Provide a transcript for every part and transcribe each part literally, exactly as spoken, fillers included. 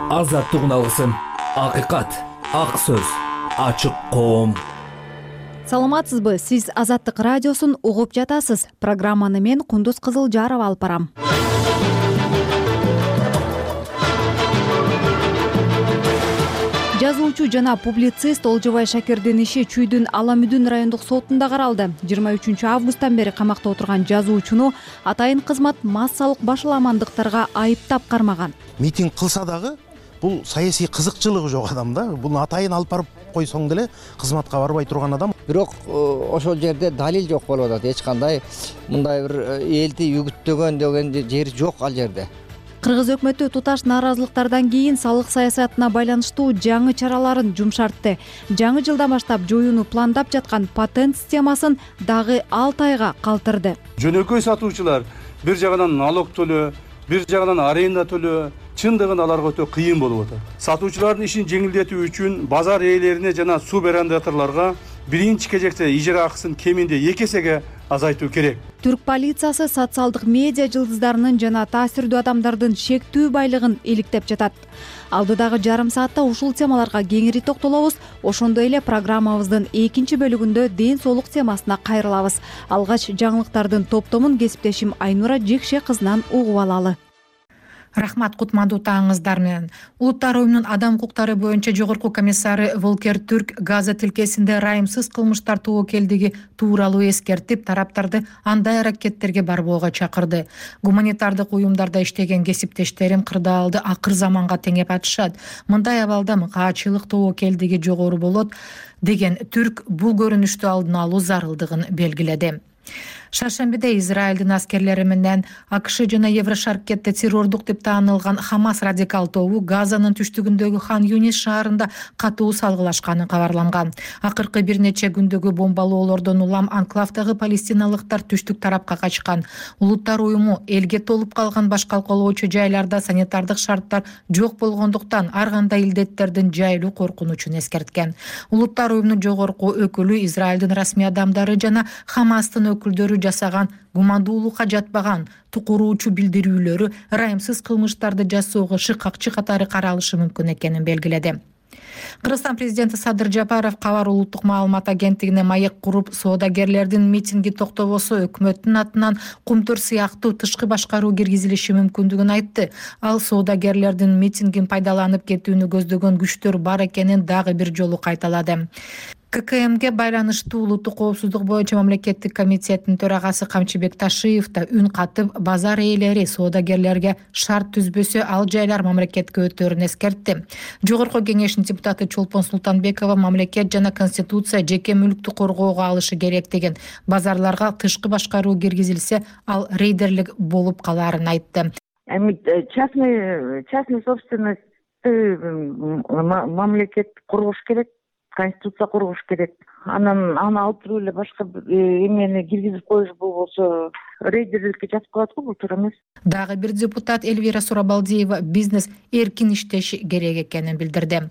азаттык алгысын, акыйкат, ак сөз, ачык коом. Саламатсызбы? Сиз Азаттык радиосун угуп жатасыз. Программаны мен Кундуз Кызылжарова алып барам. Жазуучу жана публицист Олжобай Шакирдин иши Чүйдүн Аламүдүн райондук сотунда каралды. жыйырма үчүнчү августтан бери камакта отурган жазуучуну атайын кызмат массалык башаламандыктарга айыптап кармаган. Митинг кылса дагы бул саясий кызыкчылыгы жок адам да. Буну атайын алып барып койсоң деле кызматка барбай турган адам. Бирок ошол жерде далил жок болуп атат. Эч кандай мындай бир элди үгүттөгөн деген жери жок ал жерде. Кыргыз өкмөтү туташ нааразылыктардан кийин салык саясатына байланыштуу жаңы чараларын жумшартты. Жаңы жылдан баштап жоюуну пландап жаткан патент системасын дагы алты айга калтырды. Жөнөкөй сатуучулар бир жагынан налог төлөө, бир жагынан аренда төлөө, чындыгын аларга өтө кыйын болуп атат. Сатуучулардын ишин жеңилдетүү үчүн базар ээлерине жана субарендаторлорго биринчи кезекте ижара акысын кеминде эки эсеге азайтуу керек. Түрк полициясы социалдык медиа жылдыздарынын жана таасирдүү адамдардын шектүү байлыгын иликтеп жатат. Алдыдагы жарым саатта ушул темаларга кеңири токтолобуз. Ошондой эле программабыздын экинчи бөлүгүндө ден соолук темасына кайрылабыз. Алгач жаңылыктардын топтомун кесиптешим Айнура Жекше кызынан угуп алалы. Рахмат, кутмандуу таңыңыздар менен. Улуттар уюмунун адам укуктары боюнча жогорку комиссары Волкер Түрк Газа тилкесинде райымсыз кылмыштар тобокелдиги тууралуу эскертип, тараптарды андай аракеттерге барбоого чакырды. Гуманитардык уюмдарда иштеген кесиптештерим кырдаалды акыр заманга теңеп атышат. Мындай абалда каачылык тобокелдиги жогору болот деген Түрк бул көрүнүштү алдын алуу зарылдыгын белгиледи. Шаршембиде Израилдин аскерлери менен АКШ жана Еврошаркетте террордук деп таанылган Хамас радикал тобу Газанын түштүгүндөгү Хан Юнис шаарында катуу салгылашканы кабарланган. Акыркы бир нече күндөгү бомбалоолордон улам анклавдагы палестиналыктар түштүк тарапка качкан. Улуттар уюму элге толуп калган баш калкалоочу жайларда санитардык шарттар жок болгондуктан ар кандай илдеттердин жайылуу коркунучун эскерткен. Улуттар уюмунун жогорку өкүлү Израилдин расмий адамдары жана Хамастын өкүлдөрү жасаган гумандуулукка жатпаган тукуруучу билдирүүлөрү райымсыз кылмыштарды жасоого шыкакчы катары каралышы мүмкүн экенин белгиледи. Кыргызстан президенти Садыр Жапаров Кабар улуттук маалымат агенттигине маек куруп, соодагерлердин митинги токтобосо өкмөттүн атынан кумтөр сыяктуу тышкы башкаруу киргизилиши мүмкүндүгүн айтты. Ал соодагерлердин митингин пайдаланып кетүүнү көздөгөн күчтөр бар экенин дагы бир жолу кайталады. ККМге байланыштуу улуттук коопсуздук боюнча мамлекеттик комитеттин төрагасы Камчыбек Ташиев да үн катып, базар ээлери соодагерлерге шарт түзбөсө ал жайлар мамлекетке өтөөрүн эскертти. Жогорку кеңештин депутаты Чолпон Султанбекова мамлекет жана конституция жеке мүлктү коргоого алышы керек деген, базарларга тышкы башкаруу киргизилсе, ал рейдерлик болуп калаарын айтты. Эми частный частный собственность мамлекет коргош керек. Конституция коргош керек. Анан аны алып туруп эле башка эмени киргизип коюш болбосо рейдерликке жатып калат го, бул туура эмес. Дагы бир депутат Эльвира Сурабалдиева бизнес эркин иштеши керек экенин билдирди.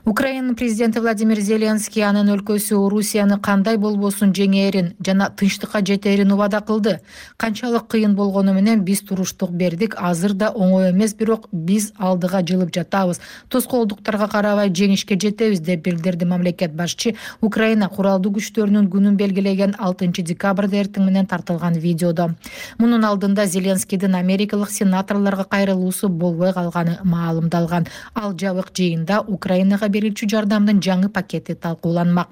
Украинанын президенти Владимир Зеленский анын өлкөсү Орусияны кандай болбосун жеңээрин жана тынчтыкка жетээрин убада кылды. Канчалык кыйын болгону менен биз туруштук бердик, азыр да оңой эмес, бирок биз алдыга жылып жатабыз. Тоскоолдуктарга карабай жеңишке жетебиз деп билдирди мамлекет башчы Украина куралдуу күчтөрүнүн күнүн белгилеген алтынчы декабрда эртең менен тартылган видеодо. Мунун алдында Зеленскийдин америкалык сенаторлорго кайрылуусу болбой калганы маалымдалган. Ал жабык жыйында Украинага берүүчү жардамдын жаңы пакети талкууланмак.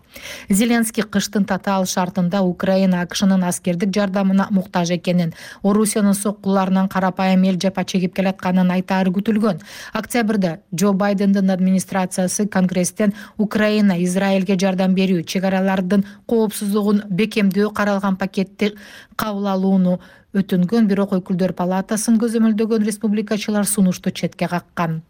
Зеленский кыштын татаал шартында Украина АКШнын аскердик жардамына муктаж экенин, Орусиянын соккуларынан карапайым эл жапа чегип келатканын айтаары күтүлгөн. Октябрда Джо Байдендин администрациясы Конгресстен Украина Израилге жардам берүү, чек аралардын коопсуздугун бекемдөө каралган пакетти кабыл алууну өтүнгөн, бирок өкүлдөр палатасын көзөмөлдөгөн республикачылар сунушту четке каккан.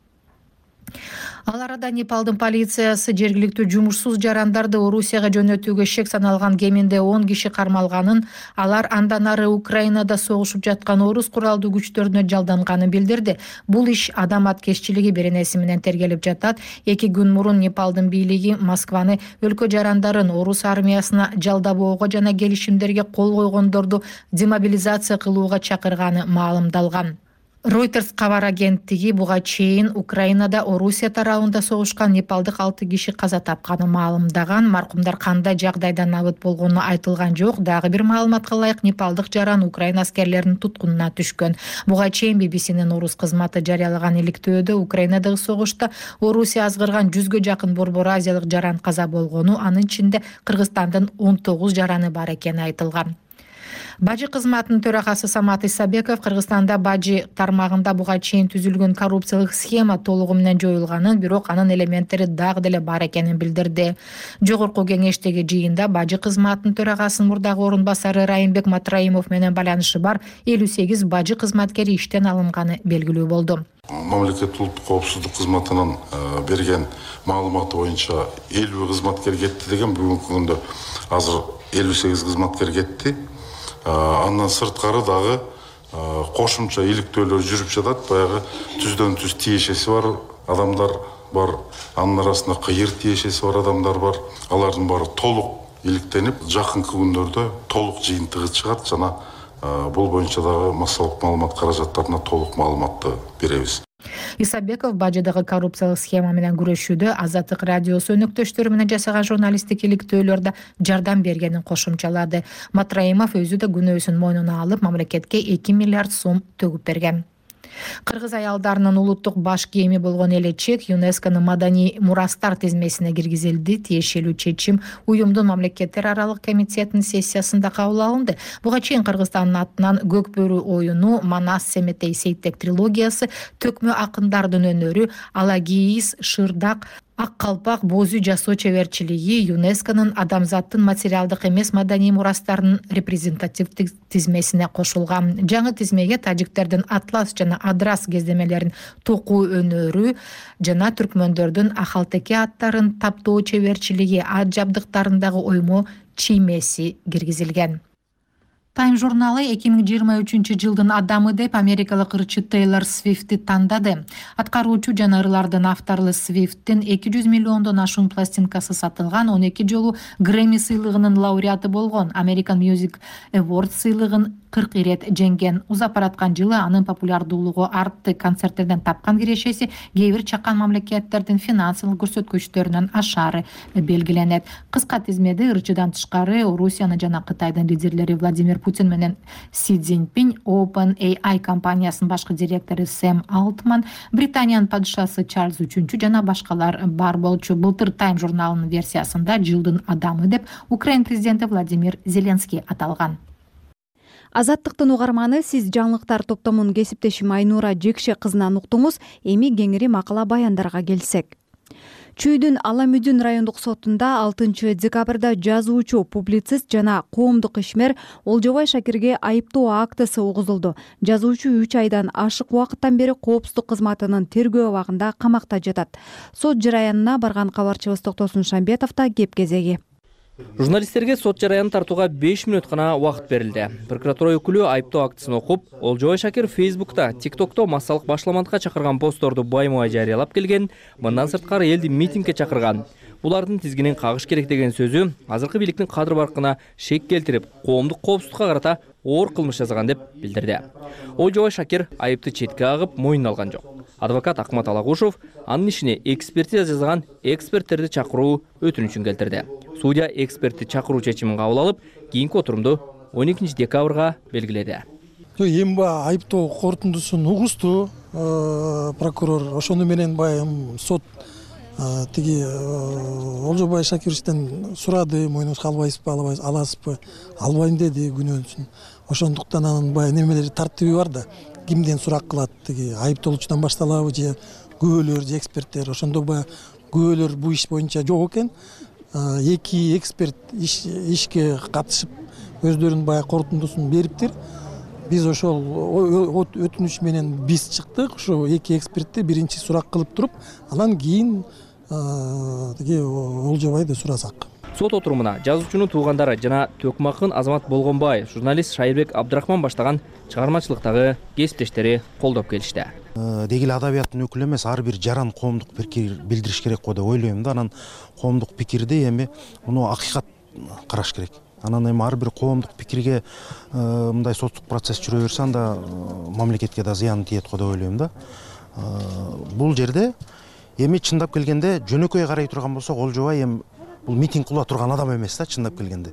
Ал арада Непалдын полициясы жергиликтүү жумушсуз жарандарды Орусияга жөнөтүүгө шек саналган кеминде он киши кармалганын, алар андан ары Украинада согушуп жаткан орус куралдуу күчтөрүнө жалданганын билдирди. Бул иш адам аткезчилиги беренеси менен тергелип жатат. Эки күн мурун Непалдын бийлиги Москваны өлкө жарандарын орус армиясына жалдабоого жана келишимдерге кол койгондорду демобилизация кылууга чакырганы маалымдалган. Reuters кабар агенттиги буга чейин Украинада Орусия тарабында согушкан непалдык алты киши каза тапканын маалымдаган. Маркумдар кандай жагдайда набыт болгону айтылган жок. Дагы бир маалыматка ылайык непалдык жаран Украина аскерлеринин туткунуна түшкөн. Буга чейин би би синин орус кызматы жарыялаган иликтөөдө Украинадагы согушта Орусия азгырган жүзгө жакын борбор азиялык жаран каза болгону, анын ичинде Кыргызстандын он тогуз жараны бар экени айтылган. Бажы кызматынын төрагасы Самат Исабеков Кыргызстанда бажы тармагында буга чейин түзүлгөн коррупциялык схема толугу менен жоюлганын, бирок анын элементтери дагы деле бар экенин билдирди. Жогорку кеңештеги жыйында бажы кызматынын төрагасынын мурдагы орун басары Райымбек Матраимов менен байланышы бар элүү сегиз бажы кызматкери иштен алынганы белгилүү болду. Мамлекеттик улуттук коопсуздук кызматынын берген маалыматы боюнча элүү кызматкер кетти деген, бүгүнкү күндө азыр элүү сегиз кызматкер кетти. Андан сырткары дагы кошумча иликтөөлөр жүрүп жатат. Баягы түздөн түз тиешеси бар адамдар бар, анын арасында кыйыр тиешеси бар адамдар бар. Алардын баары толук иликтенип, жакынкы күндөрдө толук жыйынтыгы чыгат жана бул боюнча дагы массалык маалымат каражаттарына толук маалыматты беребиз. Исабеков бажыдагы коррупциялык схема менен күрөшүүдө Азаттык радиосу өнөктөштөрү менен жасаган журналисттик иликтөөлөрдө жардам бергенин кошумчалады. Матраимов өзү да күнөөсүн мойнуна алып, мамлекетке эки миллиард сом төгүп берген. Кыргыз аялдарынын улуттук баш кийими болгон элечек ЮНЕСКОнун маданий мурастар тизмесине киргизилди. Тиешелүү чечим уюмдун мамлекеттер аралык комитетинин сессиясында кабыл алынды. Буга чейин Кыргызстандын атынан Көк бөрү оюну, Манас Семетей Сейтек трилогиясы, Төкмө акындардын өнөрү, Алагиис, Шырдак, Ак калпак, Бозу жасоо чеберчилиги ЮНЕСКОнун адамзаттын материалдык эмес маданий мурастарынын репрезентативдик тизмесине кошулган. Жаңы тизмеге тажиктердин Атлас жана Адрас кездемелерин токуу өнөрү жана түркмөндөрдүн Ахалтеке аттарын таптоо чеберчилиги, ат жабдыктарындагы оймо чиймеси киргизилген. Time журналы эки миң жыйырма үчүнчү жылдын адамы деп америкалык ырчы Тейлор Свифтти тандады. Аткаруучу жана ырлардын автору Свифттин эки жүз миллиондон ашуун пластинкасы сатылган, он эки жолу Грэмми сыйлыгынын лауреаты болгон, American Music Awards сыйлыгын кырк ирет жеңген. Узап бараткан жылы анын популярдуулугу артты. Концерттерден тапкан кирешеси кээ бир чакан мамлекеттердин финансылык көрсөткүчтөрүнөн ашары белгиленет. Кыска тизмеде ырчыдан тышкары Орусияны жана Кытайдын лидерлери Владимир Путин менен Си Цзиньпин, OpenAI компаниясынын башкы директору Сэм Алтман, Британиянын падышасы Чарльз үчүнчү жана башкалар бар болчу. Былтыр Time журналынын версиясында жылдын адамы деп Украина президенти Владимир Зеленский аталган. Азаттыктын угарманы, сиз жаңылыктар топтомунун кесиптешим Айнура Жекше кызынан уктуңуз. Эми кеңири макала баяндарга келсек. Чүйдүн Аламүдүн райондук сотунда алтынчы декабрда жазуучу, публицист жана коомдук ишмер Олжобай Шакирге айыптоо актысы угузулду. Жазуучу үч айдан ашык убакыттан бери коопсуздук кызматынын тергөө абагында камакта жатат. Сот жараянына барган кабарчыбыз Токтосун Шамбетов да кеп кезеги. Журналисттерге сот жараянын тартууга беш мүнөт гана убакыт берилди. Прокуратура өкүлү айыптоо актысын окуп, Олжобай Шакир Фейсбукта, ТикТокто массалык башламандыкка чакырган постторду байма-бай жарыялап келген, мындан сырткары элди митингге чакырган. Булардын тизгинин кагыш керек деген сөзү азыркы бийликтин кадыр баркына шек келтирип, коомдук коопсуздукка карата оор кылмыш жасаган деп билдирди. Олжобай Шакир айыпты четке агып, мойнуна алган жок. Адвокат Акмат Алагушев анын ишине экспертиза жасаган эксперттерди чакыруу өтүнүчүн келтирди. Судья экспертти чакыруу чечимин кабыл алып, кийинки отурумду он экинчи декабрга белгиледи. Эми айыптоо корутундусун угузду прокурор, ошону менен баягы сот тиги Олжобай Шакировичтен сурады, мойнуңузга албайсызбы, аласызбы, албайм деди күнөөсүн. Ошондуктан анын баягы немелери тартиби бар да, кимден сурак кылат, тиги айыптоолучудан башталабы же күбөлөр же эксперттер. Ошондо баягы күбөлөр бул иш боюнча жок экен. Эки эксперт ишке катышып өздөрүнүн баягы корутундусун бериптир. Биз ошол өтүнүч менен биз чыктык. Ошо эки экспертти биринчи сурак кылып туруп, анан кийин тиги Олжобайды сурасак. Сот отурумуна жазуучунун туугандары жана Төкмакын Азамат Болгонбаев, журналист Шайырбек Абдрахман баштаган чыгармачылыктагы кесиптештери колдоп келишти. Деги эле адабияттын өкүлү эмес, ар бир жаран коомдук пикир билдириш керек го деп ойлойм да. Анан коомдук пикирди эми муну акыйкат караш керек. Анан эми ар бир коомдук пикирге мындай соттук процесс жүрө берсе, анда мамлекетке да зыян тиет го деп ойлойм да. Бул жерде эми чындап келгенде жөнөкөй карай турган болсок, Олжобай эми бул митинг кыла турган адам эмес да, чындап келгенде.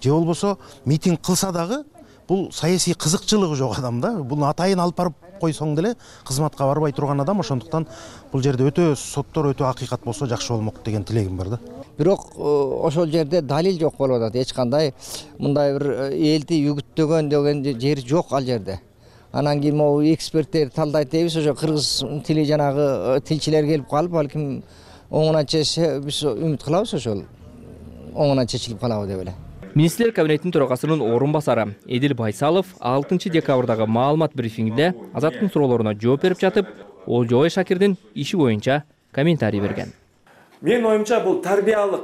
Же болбосо митинг кылса дагы бул саясий кызыкчылыгы жок адам да. Бул атайын алып барып койсоң деле кызматка барбай турган адам. Ошондуктан бул жерде өтө соттор өтө акыйкат болсо жакшы болмок деген тилегим бар да. Бирок ошол жерде далил жок болуп атат. Эч кандай мындай бир элди үгүттөгөн деген жери жок ал жерде. Анан кийин могу эксперттер талдайт дейбиз, ошо кыргыз тили жанагы тилчилер келип калып, балким оңунан чечсе биз үмүт кылабыз, ошол оңунан чечилип калабы деп эле. Министрлер кабинетинин төрагасынын орун басары Эдил Байсалов алтынчы декабрдагы маалымат брифингинде Азаттын суроолоруна жооп берип жатып, Олжобай Шакирдин иши боюнча комментарий берген. Менин оюмча бул тарбиялык,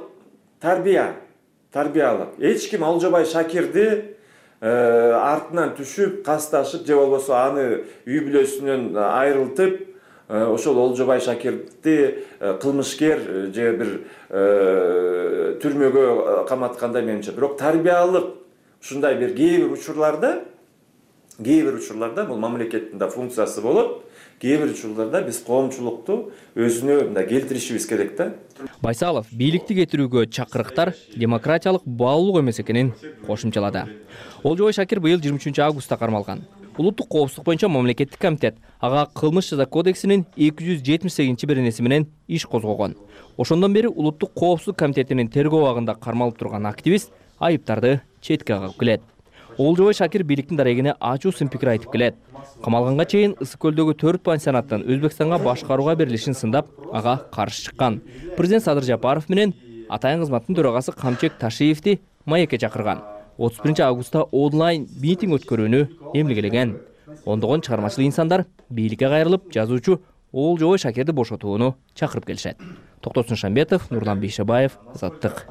тарбия, тарбиялык. Эч ким Олжобай Шакирди артынан түшүп, касташып, же болбосо аны үй бүлөсүнөн айрылтып, ошол Олжобай Шакирди кылмышкер же бир түрмөгө каматкандай менимче. Бирок тарбиялык ушундай бир кээ бир учурларда, кээ бир учурларда бул мамлекеттин да функциясы болот. Кээ бир учурларда биз коомчулукту өзүнө мындай келтиришибиз керек да. Байсалов бийликти кетирүүгө чакырыктар демократиялык баалуулук эмес экенин кошумчалады. Олжобай Шакир быйыл жыйырма үчүнчү августта кармалган. Улуттук коопсуздук боюнча мамлекеттик комитет ага кылмыш жаза кодексинин эки жүз жетимиш сегизинчи беренеси менен иш козгогон. Ошондон бери Улуттук коопсуздук комитетинин тергөө абагында кармалып турган активист айыптарды четке кагып келет. Олжобай Шакир бийликтин дарегине ачуу сын пикир айтып келет. Камалганга чейин Ысык көлдөгү төрт пансионаттын Өзбекстанга башкарууга берилишин сындап, ага каршы чыккан. Президент Садыр Жапаров менен атайын кызматтын төрагасы Камчек Ташиевди маекке чакырган. отуз биринчи августта онлайн митинг өткөрүүнү эмгилеген. Ондогон чыгармачыл инсандар бийликке кайрылып, жазуучу Олжобай Шакирди бошотууну чакырып келишет. Токтосун Шамбетов, Нурлан Бейшебаев, Азаттык.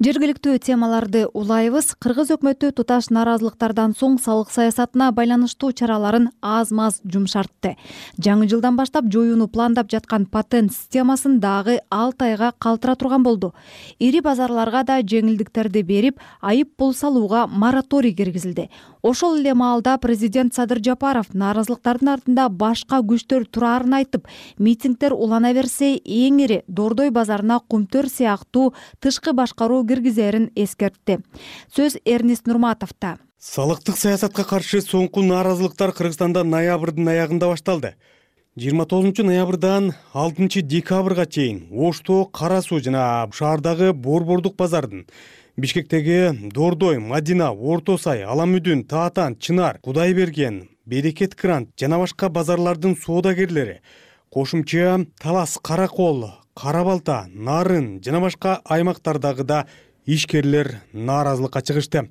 Жергиликтүү темаларды улайбыз. Кыргыз өкмөтү туташ нааразылыктардан соң салык саясатына байланыштуу чараларын аз-маз жумшартты. Жаңы жылдан баштап жоюуну пландап жаткан патент системасын дагы алты айга калтыра турган болду. Ири базарларга да жеңилдиктерди берип, айып пул салууга мораторий киргизилди. Ошол эле маалда президент Садыр Жапаров нааразылыктардын артында башка күчтөр турарын айтып, митингдер улана берсе, эң ири Дордой базарына кумтөр сыяктуу тышкы башкаруу киргизерин эскертти. Сөз Эрнест Нурматовдо. Салыктык саясатка каршы соңку нааразылыктар Кыргызстанда ноябрдын аягында башталды. жыйырма тогузунчу ноябрдан алтынчы декабрга чейин Ошто, Кара Суу жана шаардагы Борбордук базардын, Бишкектеги Дордой, Мадина, Орто Сай, Аламүдүн, Таатан, Чынар, Кудайберген, Берекет Грант жана башка базарлардын соодагерлери, кошумча Талас, Каракол, Карабалта, Нарын жана башка аймактардагы да ишкерлер нааразылыкка чыгышты.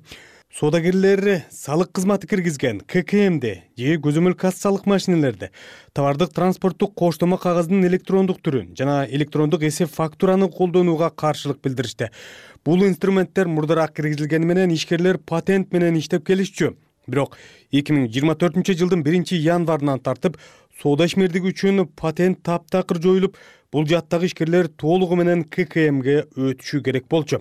Соодагерлер салык кызматы киргизген К К Мди же көзөмөл кассалык машинелерди, товардык транспорттук коштомо кагаздын электрондук түрүн жана электрондук эсеп фактураны колдонууга каршылык билдиришти. Бул инструменттер мурдараак киргизилгени менен ишкерлер патент менен иштеп келишчү. Бирок эки миң жыйырма төртүнчү жылдын биринчи январынан тартып соода ишмердиги үчүн патент таптакыр жоюлуп, бул жаттагы ишкерлер толугу менен К К Мге өтүшү керек болчу.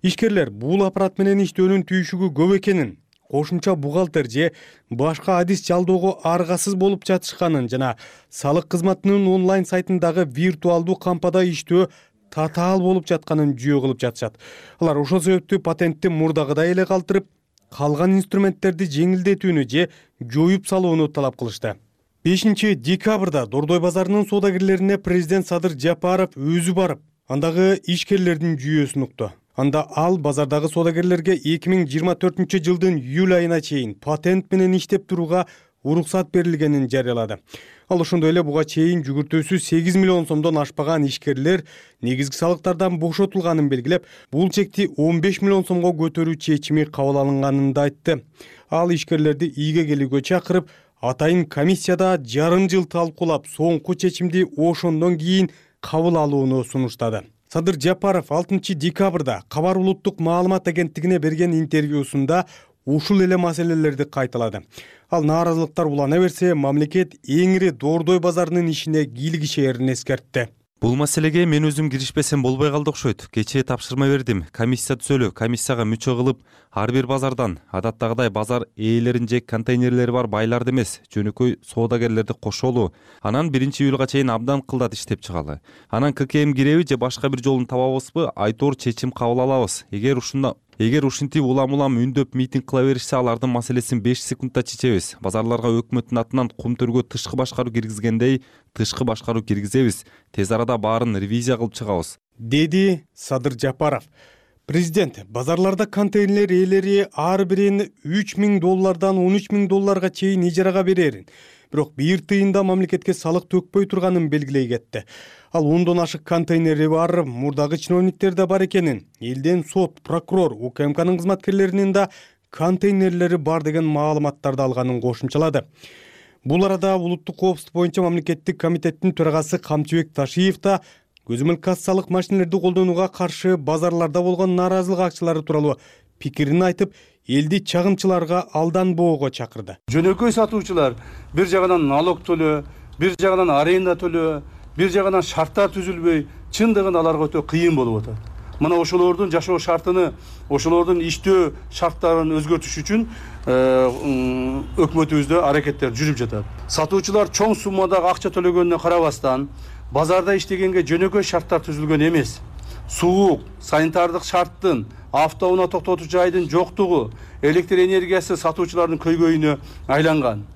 Ишкерлер бул аппарат менен иштөөнүн түйшүгү көп экенин, кошумча бухгалтер же башка адис жалдоого аргасыз болуп жатышканын жана салык кызматынын онлайн сайтындагы виртуалдуу кампада иштөө татаал болуп жатканын жүйө кылып жатышат. Алар ошол себептүү патентти мурдагыдай эле калтырып, калган инструменттерди жеңилдетүүнү же жоюп салууну талап кылышты. бешинчи декабрда Дордой базарынын соодагерлерине президент Садыр Жапаров өзү барып, андагы ишкерлердин жүйөсүн укту. Анда ал базардагы соодагерлерге эки миң жыйырма төртүнчү жылдын июль айына чейин патент менен иштеп турууга уруксат берилгенин жарыялады. Ал ошондой эле буга чейин жүгүртүүсү сегиз миллион сомдон ашпаган ишкерлер негизги салыктардан бошотулганын белгилеп, бул чекти он беш миллион сомго көтөрүү чечими кабыл алынганын да айтты. Ал ишкерлерди ийге келүүгө чакырып, атайын комиссияда жарым жыл талкуулап, соңку чечимди ошондон кийин кабыл алууну сунуштады. Садыр Жапаров алтынчы декабрда Кабар улуттук маалымат агенттигине берген интервьюсунда ушул эле маселелерди кайталады. Ал нааразылыктар улана берсе, мамлекет эң ири Дордой базарынын ишине кийлигишээрин эскертти. Бул маселеге мен өзүм киришпесем болбой калды окшойт. Кечээ тапшырма бердим. Комиссия түзөлүп, комиссияга мүчө кылып, ар бир базардан адаттагыдай базар ээлерин же контейнерлери бар байларды эмес, жөнөкөй соодагерлерди кошолу. Анан биринчи июлга чейин абдан кылдат иштеп чыгалы. Анан ККМ киреби же башка бир жолун табабызбы, айтор чечим кабыл алабыз. Эгер ушунда Эгер ушинтип улам-улам үндөп митинг кыла беришсе, алардын маселесин беш секундда чечебиз. Базарларга өкмөттүн атынан кумтөргө тышкы башкаруу киргизгендей, тышкы башкаруу киргизебиз. Тез арада баарын ревизия кылып чыгабыз, деди Садыр Жапаров. Президент базарларда контейнер ээлери ар бирин үч миң доллардан он үч миң долларга чейин ижарага берерин, бирок бир тыйын да мамлекетке салык төкпөй турганын белгилей кетти. Ал ондон ашык контейнери бар мурдагы чиновниктер да бар экенин, элден сот, прокурор, УКМКнын кызматкерлеринин да контейнерлери бар деген маалыматтарды алганын кошумчалады. Бул арада улуттук коопсуздук боюнча мамлекеттик комитеттин төрагасы Камчыбек Ташиев да көзөмөл кассалык машинелерди колдонууга каршы базарларда болгон нааразылык акчалары тууралуу пикирин айтып, элди чагымчыларга алданбоого чакырды. Жөнөкөй сатуучулар бир жагынан налог төлөө, бир жагынан аренда төлөө, бир жагынан шарттар түзүлбөй, чындыгын аларга өтө кыйын болуп атат. Мына ошолордун жашоо шартыны, ошолордун иштөө шарттарын өзгөртүш үчүн өкмөтүбүздө аракеттер жүрүп жатат. Сатуучулар чоң суммадагы акча төлөгөнүнө карабастан, базарда иштегенге жөнөкөй шарттар түзүлгөн эмес. Суук, санитардык шарттын, автоунаа токтотуу жайдын жоктугу, электр энергиясы сатуучулардын көйгөйүнө айланган.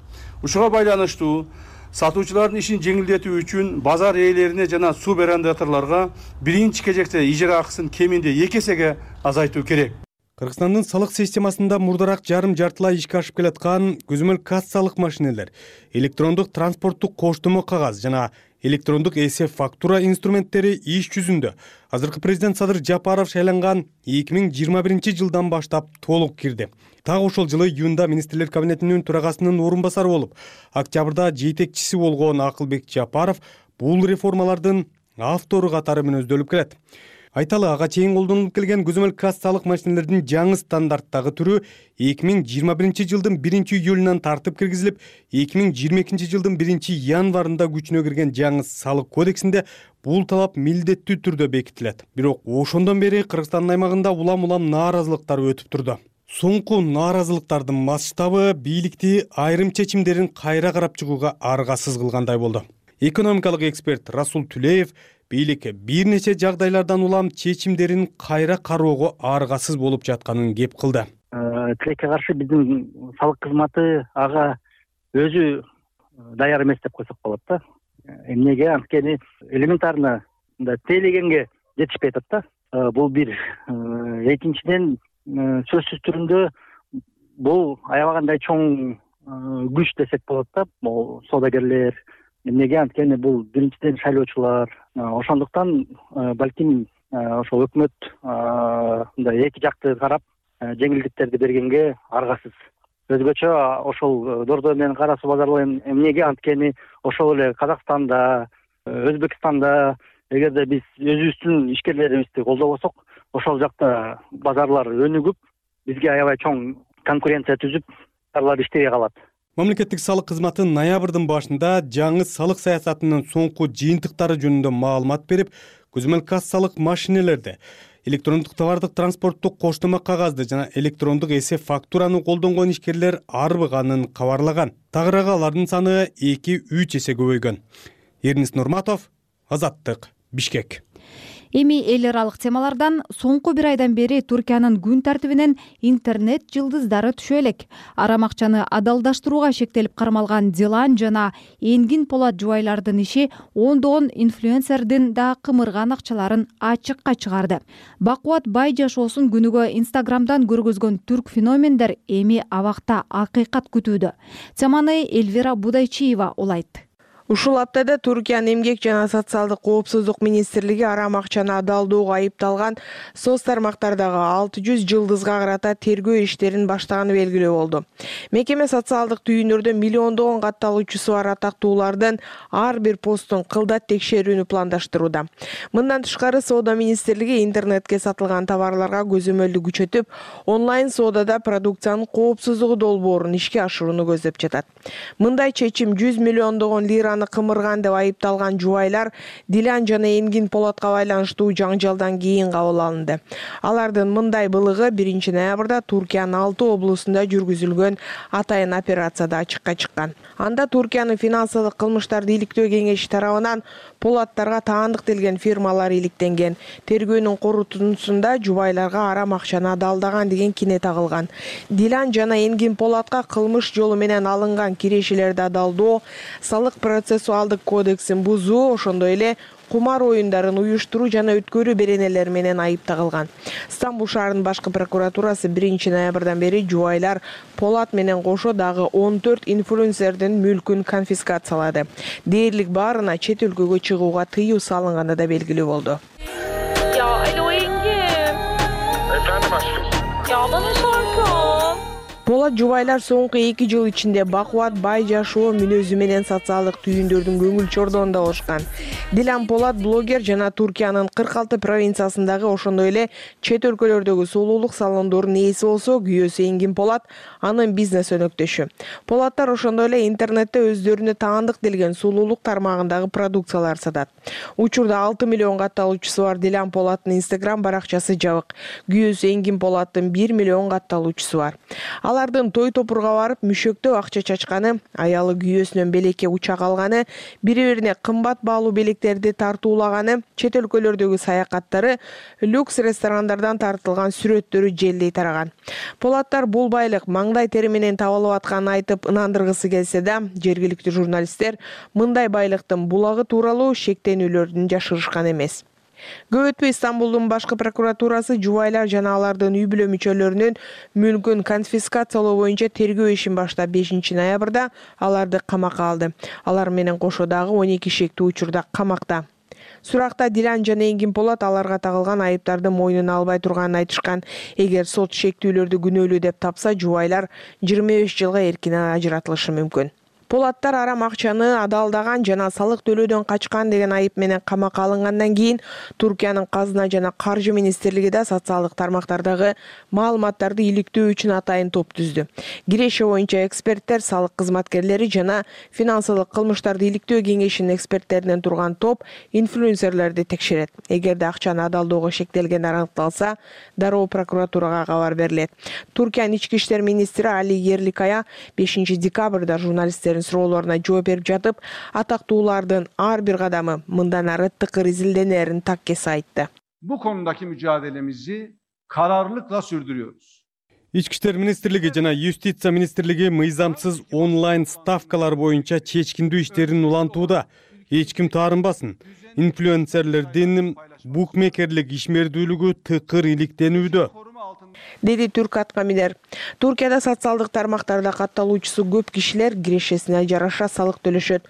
Ушуга байланыштуу сатуучулардын ишин жеңилдетүү үчүн базар ээлерине жана суб арендаторлорго биринчи кезекте ижара акысын кеминде эки эсеге азайтуу керек. Кыргызстандын салык системасында мурдараак жарым жартылай ишке ашып келаткан көзөмөл кассалык машинелер, электрондук транспорттук коштомо кагаз жана электрондук эсеп фактура инструменттери иш жүзүндө. Азыркы президент Садыр Жапаров шайланган эки миң жыйырма биринчи жылдан баштап толук кирди. Так ошол жылы июнда министрлер кабинетинин төрагасынын орун басары болуп, октябрда жетекчиси болгон Акылбек Жапаров бул реформалардын автору катары мүнөздөлүп келет. Айталы, ага чейин колдонулуп келген көзөмөл кассалык машинелердин жаңы стандарттагы түрү эки миң жыйырма биринчи жылдын биринчи июлунан тартып киргизилип, эки миң жыйырма экинчи жылдын биринчи январында күчүнө кирген жаңы салык кодексинде бул талап милдеттүү түрдө бекитилет. Бирок ошондон бери Кыргызстандын аймагында улам-улам нааразылыктар өтүп турду. Соңку нааразылыктардын масштабы бийликти айрым чечимдерин кайра карап чыгууга аргасыз кылгандай болду. Экономикалык эксперт Расул Түлеев бийлик бир нече жагдайлардан улам чечимдерин кайра кароого аргасыз болуп жатканын кеп кылды. Тилекке каршы биздин салык кызматы ага өзү даяр эмес деп койсок болот да. Эмнеге? Анткени элементарно мындай тейлегенге жетишпей атат да. Бул бир. Экинчиден, сөзсүз түрүндө бул аябагандай чоң күч десек болот да. Бул соодагерлер. Эмнеге? Анткени бул биринчиден шайлоочулар. Ошондуктан балким ошол өкмөт мындай эки жакты карап жеңилдиктерди бергенге аргасыз. Өзгөчө ошол дордо менен кара суу базарлары эмнеге? Анткени ошол эле Казакстанда, Өзбекстанда эгерде биз өзүбүздүн ишкерлерибизди колдобосок, ошол жакта базарлар өнүгүп, бизге аябай чоң конкуренция түзүп, базарлар иштебей калат. Мамлекеттик салык кызматы ноябрдын башында жаңы салык саясатынын соңку жыйынтыктары жөнүндө маалымат берип, көзөмөл кассалык машинелерди, электрондук товардык транспорттук коштомо кагазды жана электрондук эсеп фактураны колдонгон ишкерлер арбыганын кабарлаган. Тагыраак алардын саны эки үч эсе көбөйгөн. Эрнис Нурматов, Азаттык, Бишкек. Эми эл аралык темалардан соңку бир айдан бери Туркиянын күн тартибинен интернет жылдыздары түшө элек. Арам акчаны адалдаштырууга шектелип кармалган Дилан жана Энгин Полат жубайлардын иши ондогон инфлюенсердин да кымырган акчаларын ачыкка чыгарды. Бакубат бай жашоосун күнүгө Инстаграмдан көргөзгөн түрк феномендер эми абакта акыйкат күтүүдө. Теманы Эльвира Будайчиева улайт. Ушул аптада Туркиянын эмгек жана социалдык коопсуздук министрлиги арам акчаны адалдоого айыпталган соц тармактардагы алты жүз жылдызга карата тергөө иштерин баштаганы белгилүү болду. Мекеме социалдык түйүндөрдө миллиондогон катталуучусу бар атактуулардын ар бир постун кылдат текшерүүнү пландаштырууда. Мындан тышкары соода министрлиги интернетке сатылган товарларга көзөмөлдү күчөтүп, онлайн соодада продукциянын коопсуздугу долбоорун ишке ашырууну көздөп жатат. Мындай чечим жүз миллиондогон лираны акчаны кымырган деп айыпталган жубайлар Дилан жана Энгин Полатка байланыштуу жаңжалдан кийин кабыл алынды. Алардын мындай былыгы биринчи ноябрда Туркиянын алты облусунда жүргүзүлгөн атайын операцияда ачыкка чыккан. Анда Туркиянын финансылык кылмыштарды иликтөө кеңеши тарабынан Полаттарга таандык делген фирмалар иликтенген. Тергөөнүн корутундусунда жубайларга арам акчаны адалдаган деген кине тагылган. Дилан жана Энгин Полатка кылмыш жолу менен алынган кирешелерди адалдоо, салык процессуалдык кодексин бузуу, ошондой эле кумар оюндарын уюштуруу жана өткөрүү беренелери менен айып тагылган. Стамбул шаарынын башкы прокуратурасы биринчи ноябрдан бери жубайлар Полат менен кошо дагы он төрт инфлюенсердин мүлкүн конфискациялады. Дээрлик баарына чет өлкөгө чыгууга тыюу салынганы да белгилүү болду. Полат жубайлар соңку эки жыл ичинде бакубат, бай жашоо мүнөзү менен социалдык түйүндөрдүн көңүл чордонунда болушкан. Дилан Полат блогер жана Туркиянын кырк алты провинциясындагы ошондой эле чет өлкөлөрдөгү сулуулук салондорунун ээси болсо, күйөөсү Энгин Полат анын бизнес өнөктөшү. Полаттар ошондой эле интернетте өздөрүнө таандык делген сулуулук тармагындагы продукциялар сатат. Учурда алты миллион катталуучусу бар Дилан Полаттын Instagram баракчасы жабык. Күйөөсү Энгин Полаттын бир миллион катталуучусу бар. Алардын той топурга барып мүшөктөп акча чачканы, аялы күйөөсүнөн белекке учак алганы, бири-бирине кымбат баалуу белектерди тартуулаганы, чет өлкөлөрдөгү саякаттары, люкс ресторандардан тартылган сүрөттөрү желдей тараган. Полаттар бул байлык маңдай тери менен табылып атканын айтып ынандыргысы келсе да, жергиликтүү журналисттер мындай байлыктын булагы тууралуу шектенүүлөрдүн жашырышкан эмес. Көп өтпөй Стамбулдун башкы прокуратурасы жубайлар жана алардын үй бүлө мүчөлөрүнүн мүлкүн конфискациялоо боюнча тергөө ишин баштап бешинчи ноябрда аларды камакка алды. Алар менен кошо дагы он эки шектүү учурда камакта. Суракта Дилан жана Энгин Полат аларга тагылган айыптарды мойнуна албай турганын айтышкан. Эгер сот шектүүлөрдү күнөөлүү деп тапса, жубайлар жыйырма беш жылга эркинен ажыратылышы мүмкүн. Полаттар арам акчаны адалдаган жана салык төлөөдөн качкан деген айып менен камакка алынгандан кийин Туркиянын казына жана каржы министрлиги да социалдык тармактардагы маалыматтарды иликтөө үчүн атайын топ түздү. Киреше боюнча эксперттер, салык кызматкерлери жана финансылык кылмыштарды иликтөө кеңешинин эксперттеринен турган топ инфлюенсерлерди текшерет. Эгерде акчаны адалдоого шектелгендер аныкталса, дароо прокуратурага кабар берилет. Туркиянын ички иштер министри Али Ерликая бешинчи декабрда журналисттердин суроолоруна жооп берип жатып, атактуулардын ар бир кадамы мындан ары тыкыр изилденерин так кесе айтты. Bu konudaki mücadelemizi kararlılıkla sürdürüyoruz. Ички иштер министрлиги жана Юстиция министрлиги мыйзамсыз онлайн ставкалар боюнча чечкиндүү иштерин улантууда. Эч ким таарынбасын. Инфлюенсерлердин букмекерлик ишмердүүлүгү тыкыр иликтенүүдө, деди Түрк Аткамидер. Туркияда социалдык тармактарда катталуучусу көп кишилер кирешесине жараша салык төлөшөт.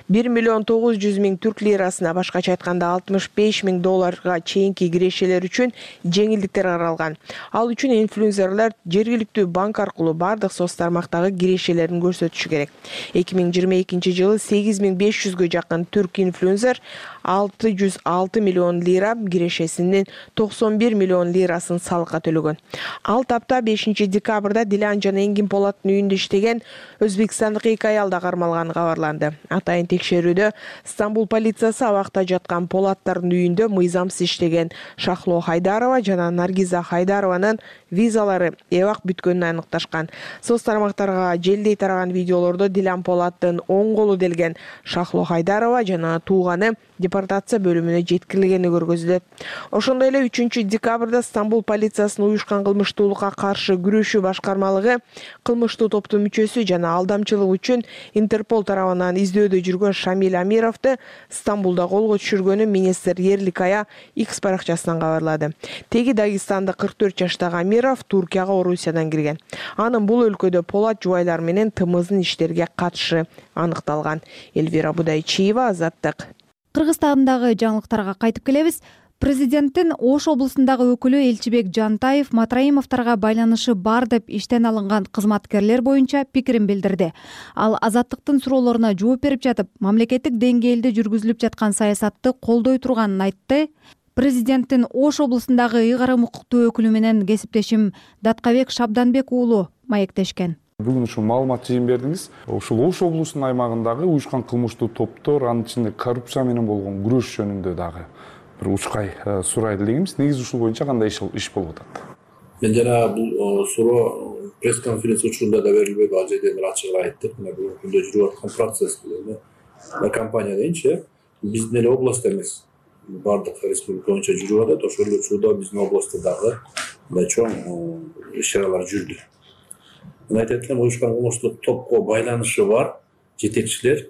бир миллион тогуз жүз миң түрк лирасына, башкача айтканда алтымыш беш миң долларга чейинки кирешелер үчүн жеңилдиктер каралган. Ал үчүн инфлюенсерлер жергиликтүү банк аркылуу бардык соц тармактагы кирешелерин көрсөтүшү керек. эки миң жыйырма экинчи жылы сегиз миң беш жүзгө жакын түрк инфлюенсер алты жүз алты миллион лира, кирешесинин токсон бир миллион лирасын салыкка төлөгөн. Ал тапта бешинчи декабрда Дилан жана Энгин Полаттын үйүндө иштеген өзбекстандык эки аял да кармалганы кабарланды. Атайын текшерүүдө Стамбул полициясы абакта жаткан Полаттардын үйүндө мыйзамсыз иштеген Шахло Хайдарова жана Наргиза Хайдарованын визалары эбак бүткөнүн аныкташкан. Соц тармактарга желдей тараган видеолордо Дилан Полаттын оң колу делген Шахло Хайдарова жана тууганы депортация бөлүмүнө жеткирилгени көргөзүлөт. Ошондой эле үчүнчү декабрда Стамбул полициясынын уюшкан кылмыштуулукка каршы күрөшүү башкармалыгы кылмыштуу топтун мүчөсү жана алдамчылык үчүн Интерпол тарабынан издөөдө жүргөн Шамиль Амировду Стамбулда колго түшүргөнүн министр Ерликая X баракчасынан кабарлады. Теги Дагестандык кырк төрт жаштагы Амиров Туркияга Орусиядан кирген. Анын бул өлкөдө Полат жубайлар менен тымыздын иштерге катышы аныкталган. Эльвира Будайчиева, Азаттык. Кыргызстандагы жаңылыктарга кайтып келебиз. Президенттин Ош облусундагы өкүлү Элчибек Жантаев Матраимовдорго байланышы бар деп иштен алынган кызматкерлер боюнча пикирин билдирди. Ал Азаттыктын суроолоруна жооп берип жатып, мамлекеттик деңгээлде жүргүзүлүп жаткан саясатты колдой турганын айтты. Президенттин Ош облусундагы ыйгарым укуктуу өкүлү менен кесиптешим Даткабек Шабданбек уулу маектешкен. Бүгүн ушул маалымат жыйын бердиңиз. Ушул Ош облусунун аймагындагы уюшкан кылмыштуу топтор, анын ичинде коррупция менен болгон күрөш жөнүндө дагы бир учкай сурайды элегибиз. Негизи ушул боюнча кандай иш болуп атат? Мен жана бул суроо пресс-конференция учурунда да берилбеди, ал жерде бир ачыгын айттык. Мына бүгүнкү күндө жүрүп аткан процесс менен компания дейинчи, биздин эле областта эмес, бардык республика боюнча жүрүп атат. Ошол эле учурда биздин областта дагы мындай чоң иш-чаралар жүрдү. Мен айтат элем, уюшкан кылмыштуу топко байланышы бар жетекчилер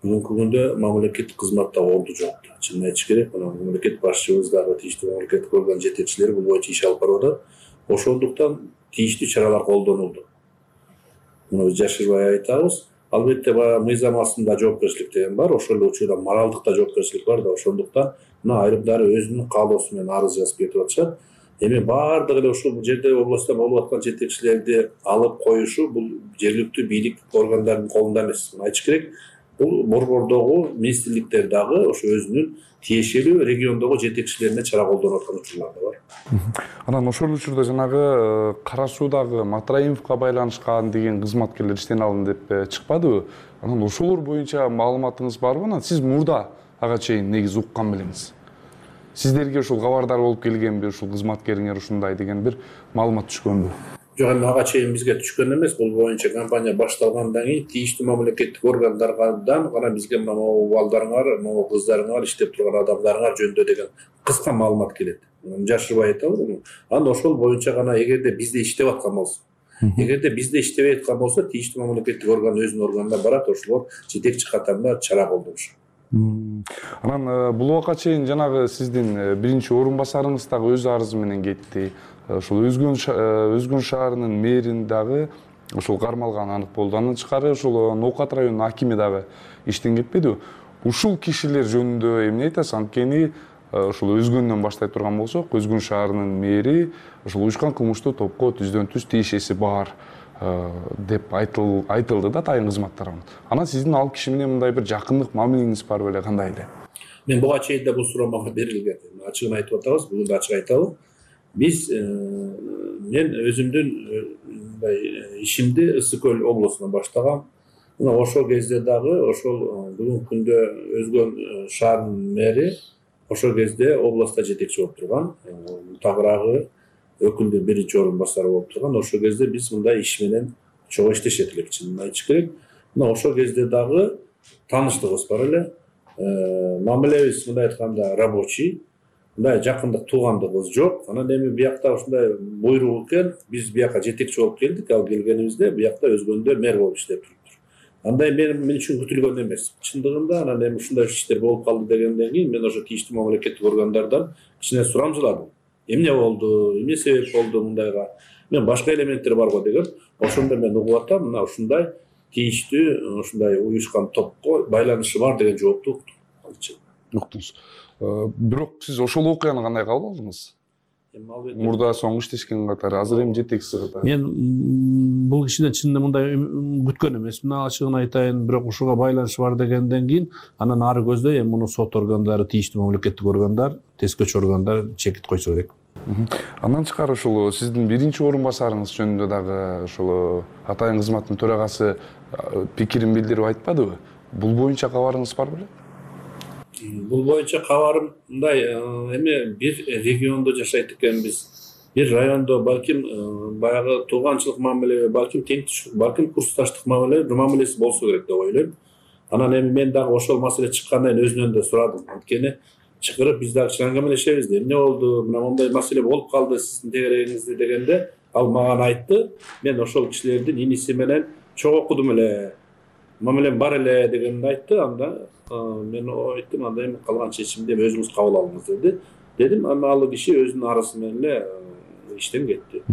бүгүнкү күндө мамлекеттик кызматта орду жок. Чынын айтыш керек, мына мамлекет башчыбыз дагы тийиштүү мамлекеттик орган жетекчилери бул боюнча иш алып барып атат. Ошондуктан тийиштүү чаралар колдонулду. Муну жашырбай айтабыз. Албетте баягы мыйзам астында жоопкерчилик деген бар, ошол эле учурда моралдык да жоопкерчилик бар да, ошондуктан мына айрымдары өзүнүн каалоосу менен арыз жазып кетип атышат. Эми баардыгы эле ушул жерде областта болуп аткан жетекчилерди алып коюшу бул жергиликтүү бийлик органдарынын колунда эмес. Айтыш керек, бул борбордогу министрликтер дагы ошо өзүнүн тиешелүү региондогу жетекчилерине чара колдонуп аткан учурлар да бар. Анан ошол учурда жанагы Кара Суудагы Матраимовго байланышкан деген кызматкерлер иштен алынды деп чыкпадыбы? Анан ошолор боюнча маалыматыңыз барбы? Анан сиз мурда ага чейин негизи уккан белеңиз? Сиздерге ушул кабардар болуп келгенби, ушул кызматкериңер ушундай деген бир маалымат түшкөнбү? Жок, эми ага чейин бизге түшкөн эмес. Бул боюнча компания башталгандан кийин тийиштүү мамлекеттик органдардан гана бизге могу балдарыңар, могу кыздарыңар, иштеп турган адамдарыңар жөнүндө деген кыска маалымат келет. Жашырбай айтабыз. Анан ошол боюнча гана эгерде бизде иштеп аткан болсо, эгерде бизде иштебей аткан болсо, тийиштүү мамлекеттик орган өзүнүн органына барат, ошолор жетекчи катарында чара колдонушат. Анан бул убакка чейин жанагы сиздин биринчи орун басарыңыз дагы өз арызы менен кетти. Ошол Өзгөн шаарынын мэрин дагы ошол кармалган анык болду. Андан тышкары ошол Ноокат районунун акими дагы иштен кетпедиби? Ушул кишилер жөнүндө эмне айтасыз? Анткени ошол Өзгөндөн баштай турган болсок, Өзгөн шаарынын мэри ошол уюшкан кылмыштуу топко түздөн түз тиешеси бар деп айтылды да тайын кызмат тарабынан. Анан сиздин ал киши менен мындай бир жакындык мамилеңиз бар беле, кандай эле? Мен буга чейин да бул суроо мага берилген. Ачыгын айтып атабыз, бүгүн да ачык айтабыз. Биз мен өзүмдүн мындай ишимди Ысык көл облусунан баштагам. Мына ошол кезде дагы ошол бүгүнкү күндө Өзгөн шаарынын мэри ошол кезде областта жетекчи болуп турган. Тагыраагы өкүлдү биринчи орун басары болуп турган. Ошол кезде биз мындай иш менен чогуу иштешет элек, чынын айтыш керек. Мына ошол кезде дагы тааныштыгыбыз бар эле. Мамилебиз мындай айтканда рабочий, мындай жакындык туугандыгыбыз жок. Анан эми биякта ушундай буйрук экен, биз бияка жетекчи болуп келдик. Ал келгенибизде биякта Өзгөндө мэр болуп иштеп туруптур. Андай мен мен үчүн күтүлгөн эмес. Чындыгында анан эми ушундай иштер болуп калды дегенден кийин мен ошо тийиштүү мамлекеттик органдардан кичине сурамжыладым. Эмне болду, эмне себеп болду мындайга? Мен башка элементтер барбы деген. Ошондо мен угуп атам, мына ушундай тийиштүү ушундай уюшкан топко байланышы бар деген жоопту уктум. Уктуңуз. Бирок сиз ошол окуяны кандай кабыл алдыңыз? Мурда соңку иштешкен катары, азыр эми жетекчиси катары. Мен бул кишиден чынында мындай күткөн эмес. Мына ачыгын айтайын, бирок ушуга байланышы бар дегенден кийин анан ары көздөй эми муну сот органдары, тийиштүү мамлекеттик органдар, тескөөчү органдар чекит койсо керек. Андан тышкары ошол сиздин биринчи орун басарыңыз жөнүндө дагы ошол атайын кызматтын төрагасы пикирин билдирип айтпадыбы? Бул боюнча кабарыңыз бар беле? Бул боюнча кабарым мындай, эми бир региондо жашайт экенбиз. Бир райондо балким баягы тууганчылык мамиле, балким теңдиштик, балким курсташтык мамиле, бир мамилеси болсо керек деп ойлойм. Анан эми мен дагы ошол маселе чыккандан кийин өзүнөн да сурадым. Анткени чакырып биз дагы чаңгамелешебиз да. Эмне болду? Мына мындай маселе болуп калды сиздин тегерегиңизде дегенде, ал мага айтты. Мен ошол кишилердин иниси менен чогуу окудум эле. Мамилем бар эле дегенди айтты. Анда мен айттым, анда эми калган чечимди өзүңүз кабыл алыңыз деди. Дедим, анан ал киши өзүнүн арызы менен эле иштен кетти.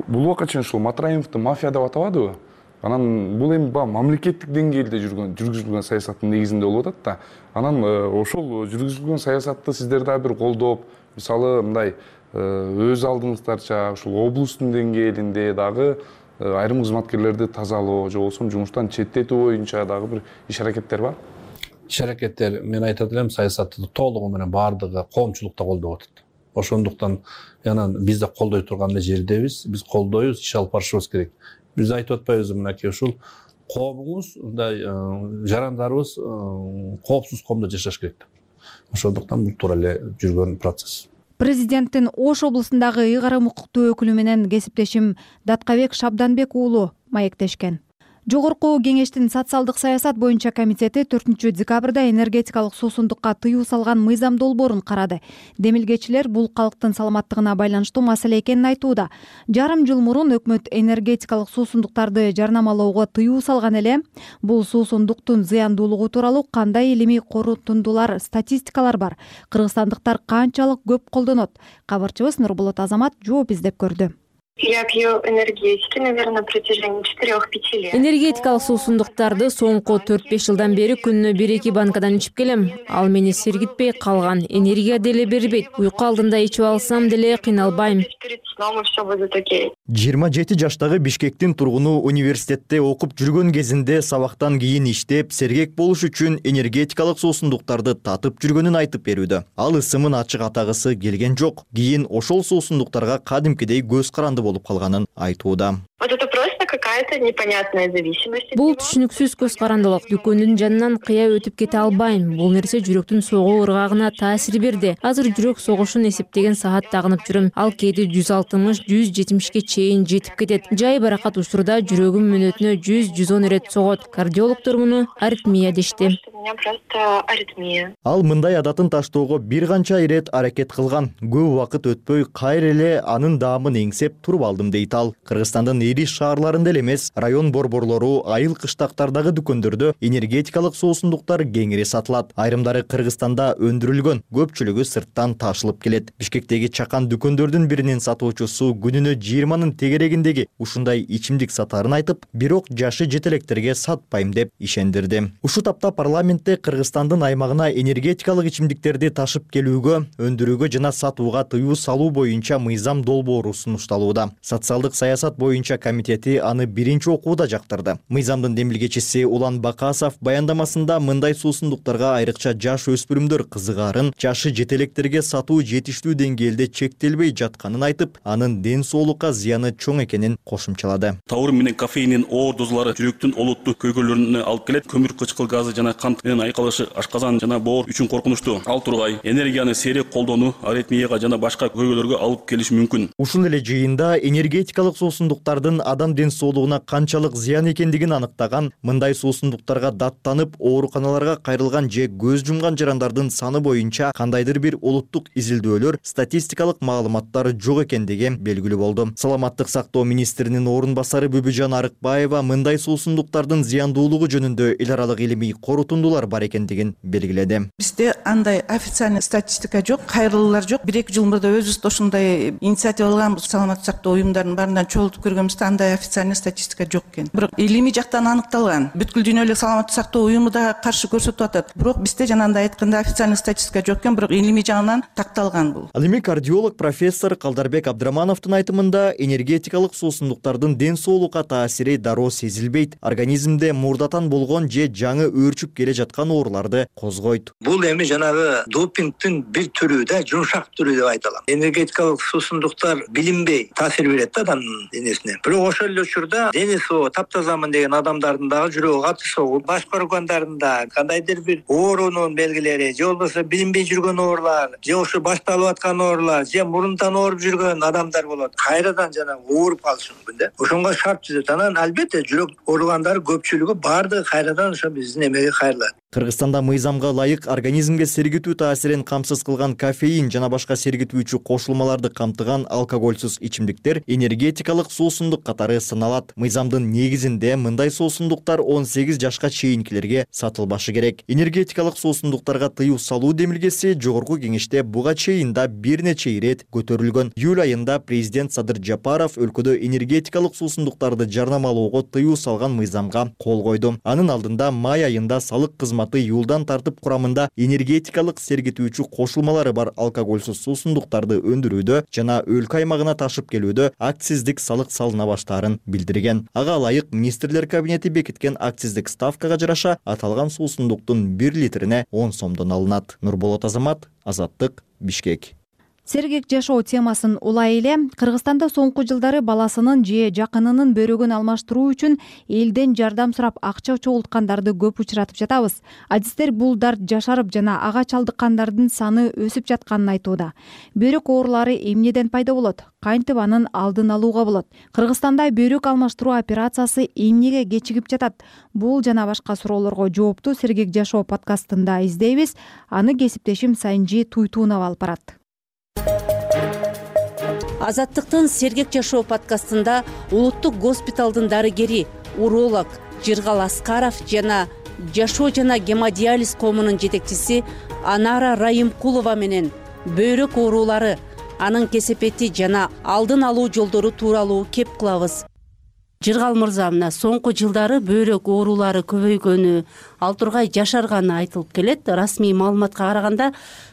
Бул убакка чейин ушул Матраимовду мафия деп атабадыбы? Анан бул эми баягы мамлекеттик деңгээлде жүргөн, жүргүзүлгөн саясаттын негизинде болуп атат да. Анан ошол жүргүзүлгөн саясатты сиздер дагы бир колдоп, мисалы мындай өз алдыңыздарча ушул облустун деңгээлинде дагы айрым кызматкерлерди тазалоо же болбосо жумуштан четтетүү боюнча дагы бир иш-аракеттер бар? Иш-аракеттер, мен айтат элем, саясатты толугу менен баардыгы коомчулукта колдоп атат. Ошондуктан анан биз да колдой турган жердебиз, биз колдойбуз, иш алып барышыбыз керек. биз айтып атпайбызбы мынакей ушул коомуңуз мындай жарандарыбыз коопсуз коомдо жашаш керек деп. Ошондуктан бул туура эле жүргөн процесс. Президенттин Ош облусундагы ыйгарым укуктуу өкүлү менен кесиптешим Даткабек Шабданбек уулу маектешкен. Жогорку кеңештин социалдык саясат боюнча комитети төртүнчү декабрда энергетикалык суусундукка тыюу салган мыйзам долбоорун карады. Демилгечилер бул калктын саламаттыгына байланыштуу маселе экенин айтууда. Жарым жыл мурун өкмөт энергетикалык суусундуктарды жарнамалоого тыюу салган эле. Бул суусундуктун зыяндуулугу тууралуу кандай илимий корутундулар, статистикалар бар? Кыргызстандыктар канчалык көп колдонот? Кабарчыбыз Нурболот Азамат жооп издеп көрдү. Я пью энергетики, наверное, на протяжении четырёх-пяти лет. Энергетикалык суусундуктарды соңку төрт-беш жылдан бери күнүнө бир-эки банкадан ичип келем. Ал мени сергитпей калган. Энергия деле бербейт. Уйку алдында ичип алсам деле кыйналбайм. жыйырма жети жаштагы Бишкектин тургуну университетте окуп жүргөн кезинде сабактан кийин иштеп, сергек болуш үчүн энергетикалык суусундуктарды татып жүргөнүн айтып берүүдө. Ал ысымын ачык атагысы келген жок. Кийин ошол суусундуктарга кадимкидей көз каранды болуп калганын айтууда. Вот это просто какая-то непонятная зависимость. Бул түшүнүксүз көз карандылык. Дүкөндүн жанынан кыя өтүп кете албайм. Бул нерсе жүрөктүн согуу ыргагына таасир берди. Азыр жүрөк согушун эсептеген саат тагынып жүрөм. Ал кээде жүз алтымыш жүз жетимишке чейин жетип кетет. Жай баракат учурда жүрөгүм мүнөтүнө жүз жүз он ирет согот. Кардиологдор муну аритмия дешти. Ал мындай адатын таштоого бир канча ирет аракет кылган. Көп убакыт өтпөй кайра эле анын даамын эңсеп туруп алдым дейт ал. Кыргызстандын ири шаарларында эле эмес, район борборлору, айыл кыштактардагы дүкөндөрдө энергетикалык суусундуктар кеңири сатылат. Айрымдары Кыргызстанда өндүрүлгөн, көпчүлүгү сырттан ташылып келет. Бишкектеги чакан дүкөндөрдүн биринин сатуучусу күнүнө жыйырманын тегерегиндеги ушундай ичимдик сатаарын айтып, бирок жашы жетелектерге сатпайм деп ишендирди. Ушу тапта парламентте Кыргызстандын аймагына энергетикалык ичимдиктерди ташып келүүгө, өндүрүүгө жана сатууга тыюу салуу боюнча мыйзам долбоору сунушталууда. Социалдык саясат боюнча комитети аны биринчи окууда жактырды. Мыйзамдын демилгечиси Улан Бакасов баяндамасында мындай суусундуктарга айрыкча жаш өспүрүмдөр кызыгаарын, жашы жетелектерге сатуу жетиштүү деңгээлде чектелбей жатканын айтып, анын ден соолукка зыяны чоң экенин кошумчалады. Тауыр менен кофеиндин оор дозалары жүрөктүн олуттуу көйгөйлөрүнө алып келет. Көмүр кычкыл газы жана кант менен айкалышы ашказан жана боор үчүн коркунучтуу. Ал тургай энергияны сейрек колдонуу аритмияга жана башка көйгөйлөргө алып келиши мүмкүн. Ушул эле жыйында энергетикалык суусундуктардын адам ден соолугуна канчалык зыян экендигин аныктаган, мындай суусундуктарга даттанып ооруканаларга кайрылган же көз жумган жарандардын саны боюнча кандайдыр бир улуттук изилдөөлөр, статистикалык маалыматтар жок экендиги белгилүү болду. Саламаттык сактоо министринин орун басары Бүбүжан Арыкбаева мындай суусундуктардын зыяндуулугу жөнүндө эл аралык илимий корутундулар бар экендигин белгиледи. Бизде андай официальный статистика жок, кайрылуулар жок. бир-эки жыл мурда өзүбүз ошондой инициатива алганбыз. Саламаттык сактоо уюмдарынын баарынан чогултуп көргөнбүздө андай официальный статистика жок экен. Бирок илимий жактан аныкталган. Бүткүл дүйнөлүк саламаттык сактоо уюму да каршы көрсөтүп атат. Бирок бизде жанагындай айтканда официальный статистика жок экен, бирок илимий жагынан такталган бул. Ал эми кардиолог профессор Калдарбек Абдрамановдун айтымында энергетикалык суусундуктардын ден соолукка таасири дароо сезилбейт. Организмде мурдатан болгон же жаңы өөрчүп келе жаткан ооруларды козгойт. Бул эми жанагы допингдин бир түрү да, жумшак түрү деп айталам. Энергетикалык суусундуктар билинбей таасир берет да адамдын денесине. Бирок ошол эле учурда дени соо таптазамын деген адамдардын дагы жүрөгү катуу согуп, баш көргөндөрүндө кандайдыр бир оорунун белгилери, же болбосо билинбей жүргөн оорулар, же ошо башталып аткан оорулар, же мурунтан ооруп жүргөн адамдар болот. Кайрадан жана ооруп калышы мүмкүн да. Ошонго шарт түзөт. Анан албетте жүрөк ооругандар көпчүлүгү баардыгы кайрадан ошо биздин эмеге кайрылат. Кыргызстанда мыйзамга ылайык организмге сергитүү таасирин камсыз кылган кофеин жана башка сергитүүчү кошулмаларды камтыган алкогольсуз ичимдиктер энергетикалык суусундук катары саналат. Мыйзамдын негизинде мындай суусундуктар он сегиз жашка чейинкилерге сатылбашы керек. Энергетикалык суусундуктарга тыюу салуу демилгеси жогорку кеңеште буга чейин да бир нече ирет көтөрүлгөн. Июль айында президент Садыр Жапаров өлкөдө энергетикалык суусундуктарды жарнамалоого тыюу салган мыйзамга кол койду. Анын алдында май айында салык кызматы юлдан тартып курамында энергетикалык сергитүүчү кошулмалары бар алкогольсуз суусундуктарды өндүрүүдө жана өлкө аймагына ташып келүүдө акциздик салык салына баштаарын билдирген. Ага ылайык министрлер кабинети бекиткен акциздик ставкага жараша аталган суусундуктун бир литрине он сомдон алынат. Нурболот Азамат, Азаттык, Бишкек. Сергек жашоо темасын улай эле Кыргызстанда соңку жылдары баласынын же жакынынын бөйрөгүн алмаштыруу үчүн элден жардам сурап акча чогулткандарды көп учуратып жатабыз. Адистер бул дарт жашарып жана ага чалдыккандардын саны өсүп жатканын айтууда. Бөйрөк оорулары эмнеден пайда болот? Кантип анын алдын алууга болот? Кыргызстанда бөйрөк алмаштыруу операциясы эмнеге кечигип жатат? Бул жана башка суроолорго жоопту Сергек жашоо подкастында издейбиз. Аны кесиптешим Сайынжи Туйтунова алып барат. Азаттыктын Сергек жашоо подкастында улуттук госпиталдын дарыгери, уролог Жыргал Аскаров жана жашоо жана гемодиализ коомунун жетекчиси Анара Райымкулова менен бөйрөк оорулары, анын кесепети жана алдын алуу жолдору тууралуу кеп кылабыз. Жыргал мырза, мына соңку жылдары бөйрөк оорулары көбөйгөнү, ал тургай жашарганы айтылып келет. Расмий маалыматка караганда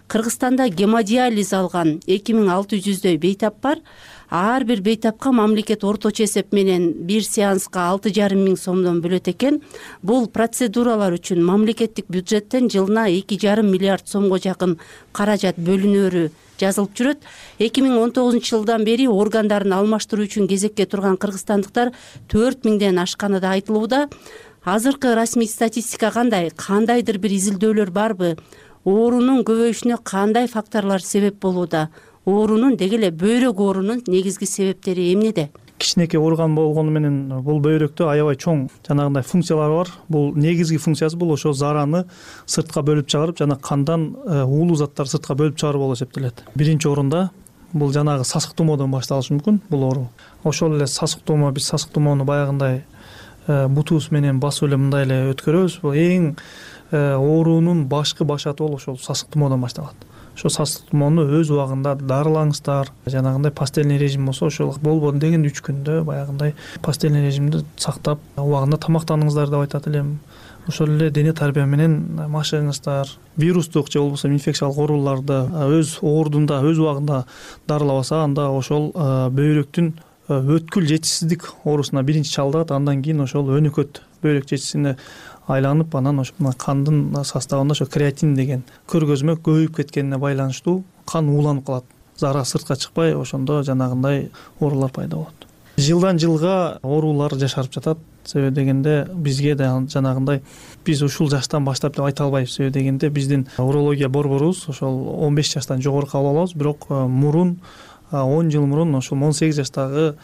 Кыргызстанда гемодиализ алган эки миң алты жүздөй бейтап бар. Ар бир бейтапка мамлекет орточо эсеп менен бир сеанска алты жарым миң сомдон бөлөт экен. Бул процедуралар үчүн мамлекеттик бюджеттен жылына эки жарым миллиард сомго жакын каражат бөлүнөрү жазылып жүрөт. эки миң он тогузунчу жылдан бери органдарын алмаштыруу үчүн кезекке турган кыргызстандыктар төрт миңден ашканы да айтылууда. Азыркы расмий статистика кандай? Кандайдыр бир изилдөөлөр барбы? Оорунун көбөйүшүнө кандай факторлор себеп болууда? Оорунун, деги эле бөйрөк оорунун негизги себептери эмнеде? Кичинекей орган болгону менен бул бөйрөктө аябай чоң жанагындай функциялары бар. Бул негизги функциясы бул ошо зараны сыртка бөлүп чыгарып жана кандан уулуу заттарды сыртка бөлүп чыгаруу болуп эсептелет. Биринчи орунда бул жанагы сасык тумоодон башталышы мүмкүн бул оору. Ошол эле сасык тумоо, биз сасык тумоону баягындай бутубуз менен басып эле мындай эле өткөрөбүз. Бул эң оорунун башкы башаты бол ошол сасык тумоодон башталат. Ошо сасык тумоону өз убагында дарылаңыздар. Жанагындай пастельный режим болсо, ошол болбоду деген үч күндө баягындай пастельный режимди сактап, убагында тамактаныңыздар деп айтат элем. Ошол эле дене тарбия менен машыгыңыздар. Вирустук же болбосо инфекциялык ооруларды өз ордунда, өз убагында дарылабаса, анда ошол бөйрөктүн өткүл жетишсиздик оорусуна биринчи чалдыгат, андан кийин ошол өнөкөт бөйрөк жетишсине айланып, анан ошо кандын составында ошо креатин деген көргөзмө көбөйүп кеткенине байланыштуу кан ууланып калат. Зара сыртка чыкпай, ошондо жанагындай оорулар пайда болот. Жылдан жылга оорулар жашарып жатат. Себеби дегенде бизге да жанагындай биз ушул жаштан баштап деп айта албайбыз. Себеби дегенде биздин урология борборубуз ошол он беш жаштан жогору кабыл алабыз, бирок мурун он жыл мурун ошол он сегиз жаштагы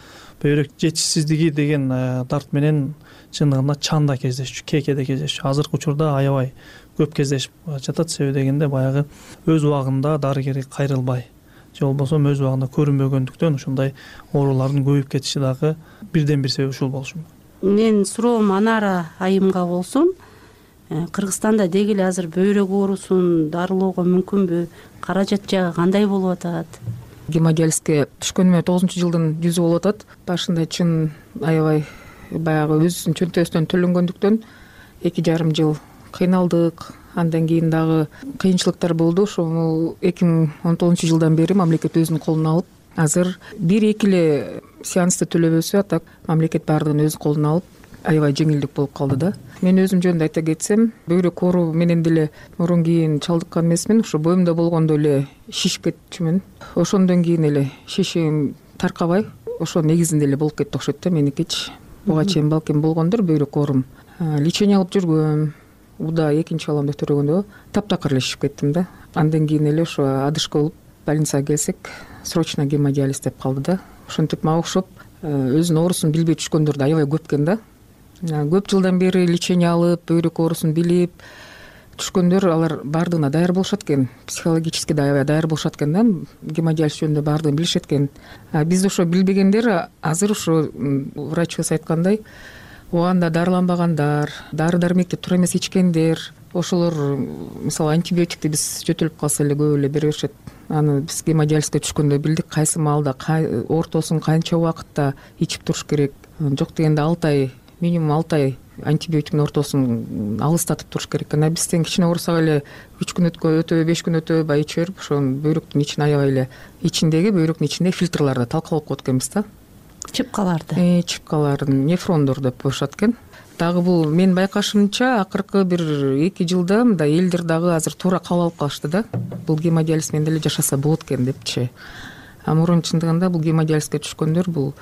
бөйрөк жетишсиздиги деген дарт менен чындыгында чанда кездешчү, кекеде кездешчү. Азыркы учурда аябай көп кездешип жатат. Себеби дегенде баягы өз убагында дарыгери кайрылбай же болбосо өз убагында көрүнбөгөндүктөн ушундай оорулардын көбөйүп кетиши дагы бирден бир себеби ушул болушу мүмкүн. Мен суроом Анара айымга болсун. Кыргызстанда деги эле азыр бөйрөк оорусун дарылоого мүмкүнбү? Каражат жагы кандай болуп атат? Гемодиализге түшкөнүмө тогузунчу жылдын жүзү болуп атат. Башында чын аябай баягы өзүбүздүн чөнтөбүздөн төлөнгөндүктөн эки жарым жыл кыйналдык. Андан кийин дагы кыйынчылыктар болду. Ошол эки миң он тогузунчу жылдан бери мамлекет өзүнүн колуна алып, азыр бир-эки эле сеансты төлөбөсү, а так мамлекет баардыгын өз колуна алып, аябай жеңилдик болуп калды да. Мен өзүм жөнүндө айта кетсем, бөйрөк оору менен деле мурун кийин чалдыккан эмесмин. Ошо боюмда болгондо эле шишип кетчүмүн. Ошондон кийин эле шишим таркабай, ошо негизинде эле болуп кетти окшойт да меникичи. Буга чейин балким болгондур бөйрөк оорум. Лечение алып жүргөм. Уда экинчи баламды төрөгөндө таптакыр эле шишип кеттим да. Андан кийин эле ошо адышка болуп больницага келсек, срочно гемодиализ деп калды да. Ошентип мага окшоп өзүнүн оорусун билбей түшкөндөр да аябай көп экен да. Көп жылдан бери лечение алып, бөйрөк оорусун билип түшкөндөр алар баардыгына даяр болушат экен. Психологически да аябай даяр болушат экен да. Гемодиализ жөнүндө баардыгын билишет экен. Биз ошо билбегендер азыр ошо врачыбыз айткандай, убагында дарыланбагандар, дары-дармекти туура эмес ичкендер, ошолор мисалы антибиотикти биз жөтөлүп калса эле көп эле бере беришет. Аны биз гемодиализге түшкөндө билдик кайсы маалда, ортосун канча убакытта ичип туруш керек. Жок дегенде алты ай, минимум алты ай антибиотиктин ортосун алыстатып туруш керек экен. А бизден кичине оорусак эле үч күн өтөбөй, беш күн өтөбөй ичип берип, ошо бөйрөктүн ичин аябай эле ичиндеги бөйрөктүн ичиндеги фильтрларды талкалап коет экенбиз да. Чыпкаларды. Э, чыпкаларын, нефрондор деп коюшат экен. дагы бул менин байкашымча акыркы бир эки жылда мындай элдер дагы азыр туура кабыл алып калышты да, бул гемодиализ менен деле жашаса болот экен депчи. А мурун чындыгында бул гемодиализге түшкөндөр бул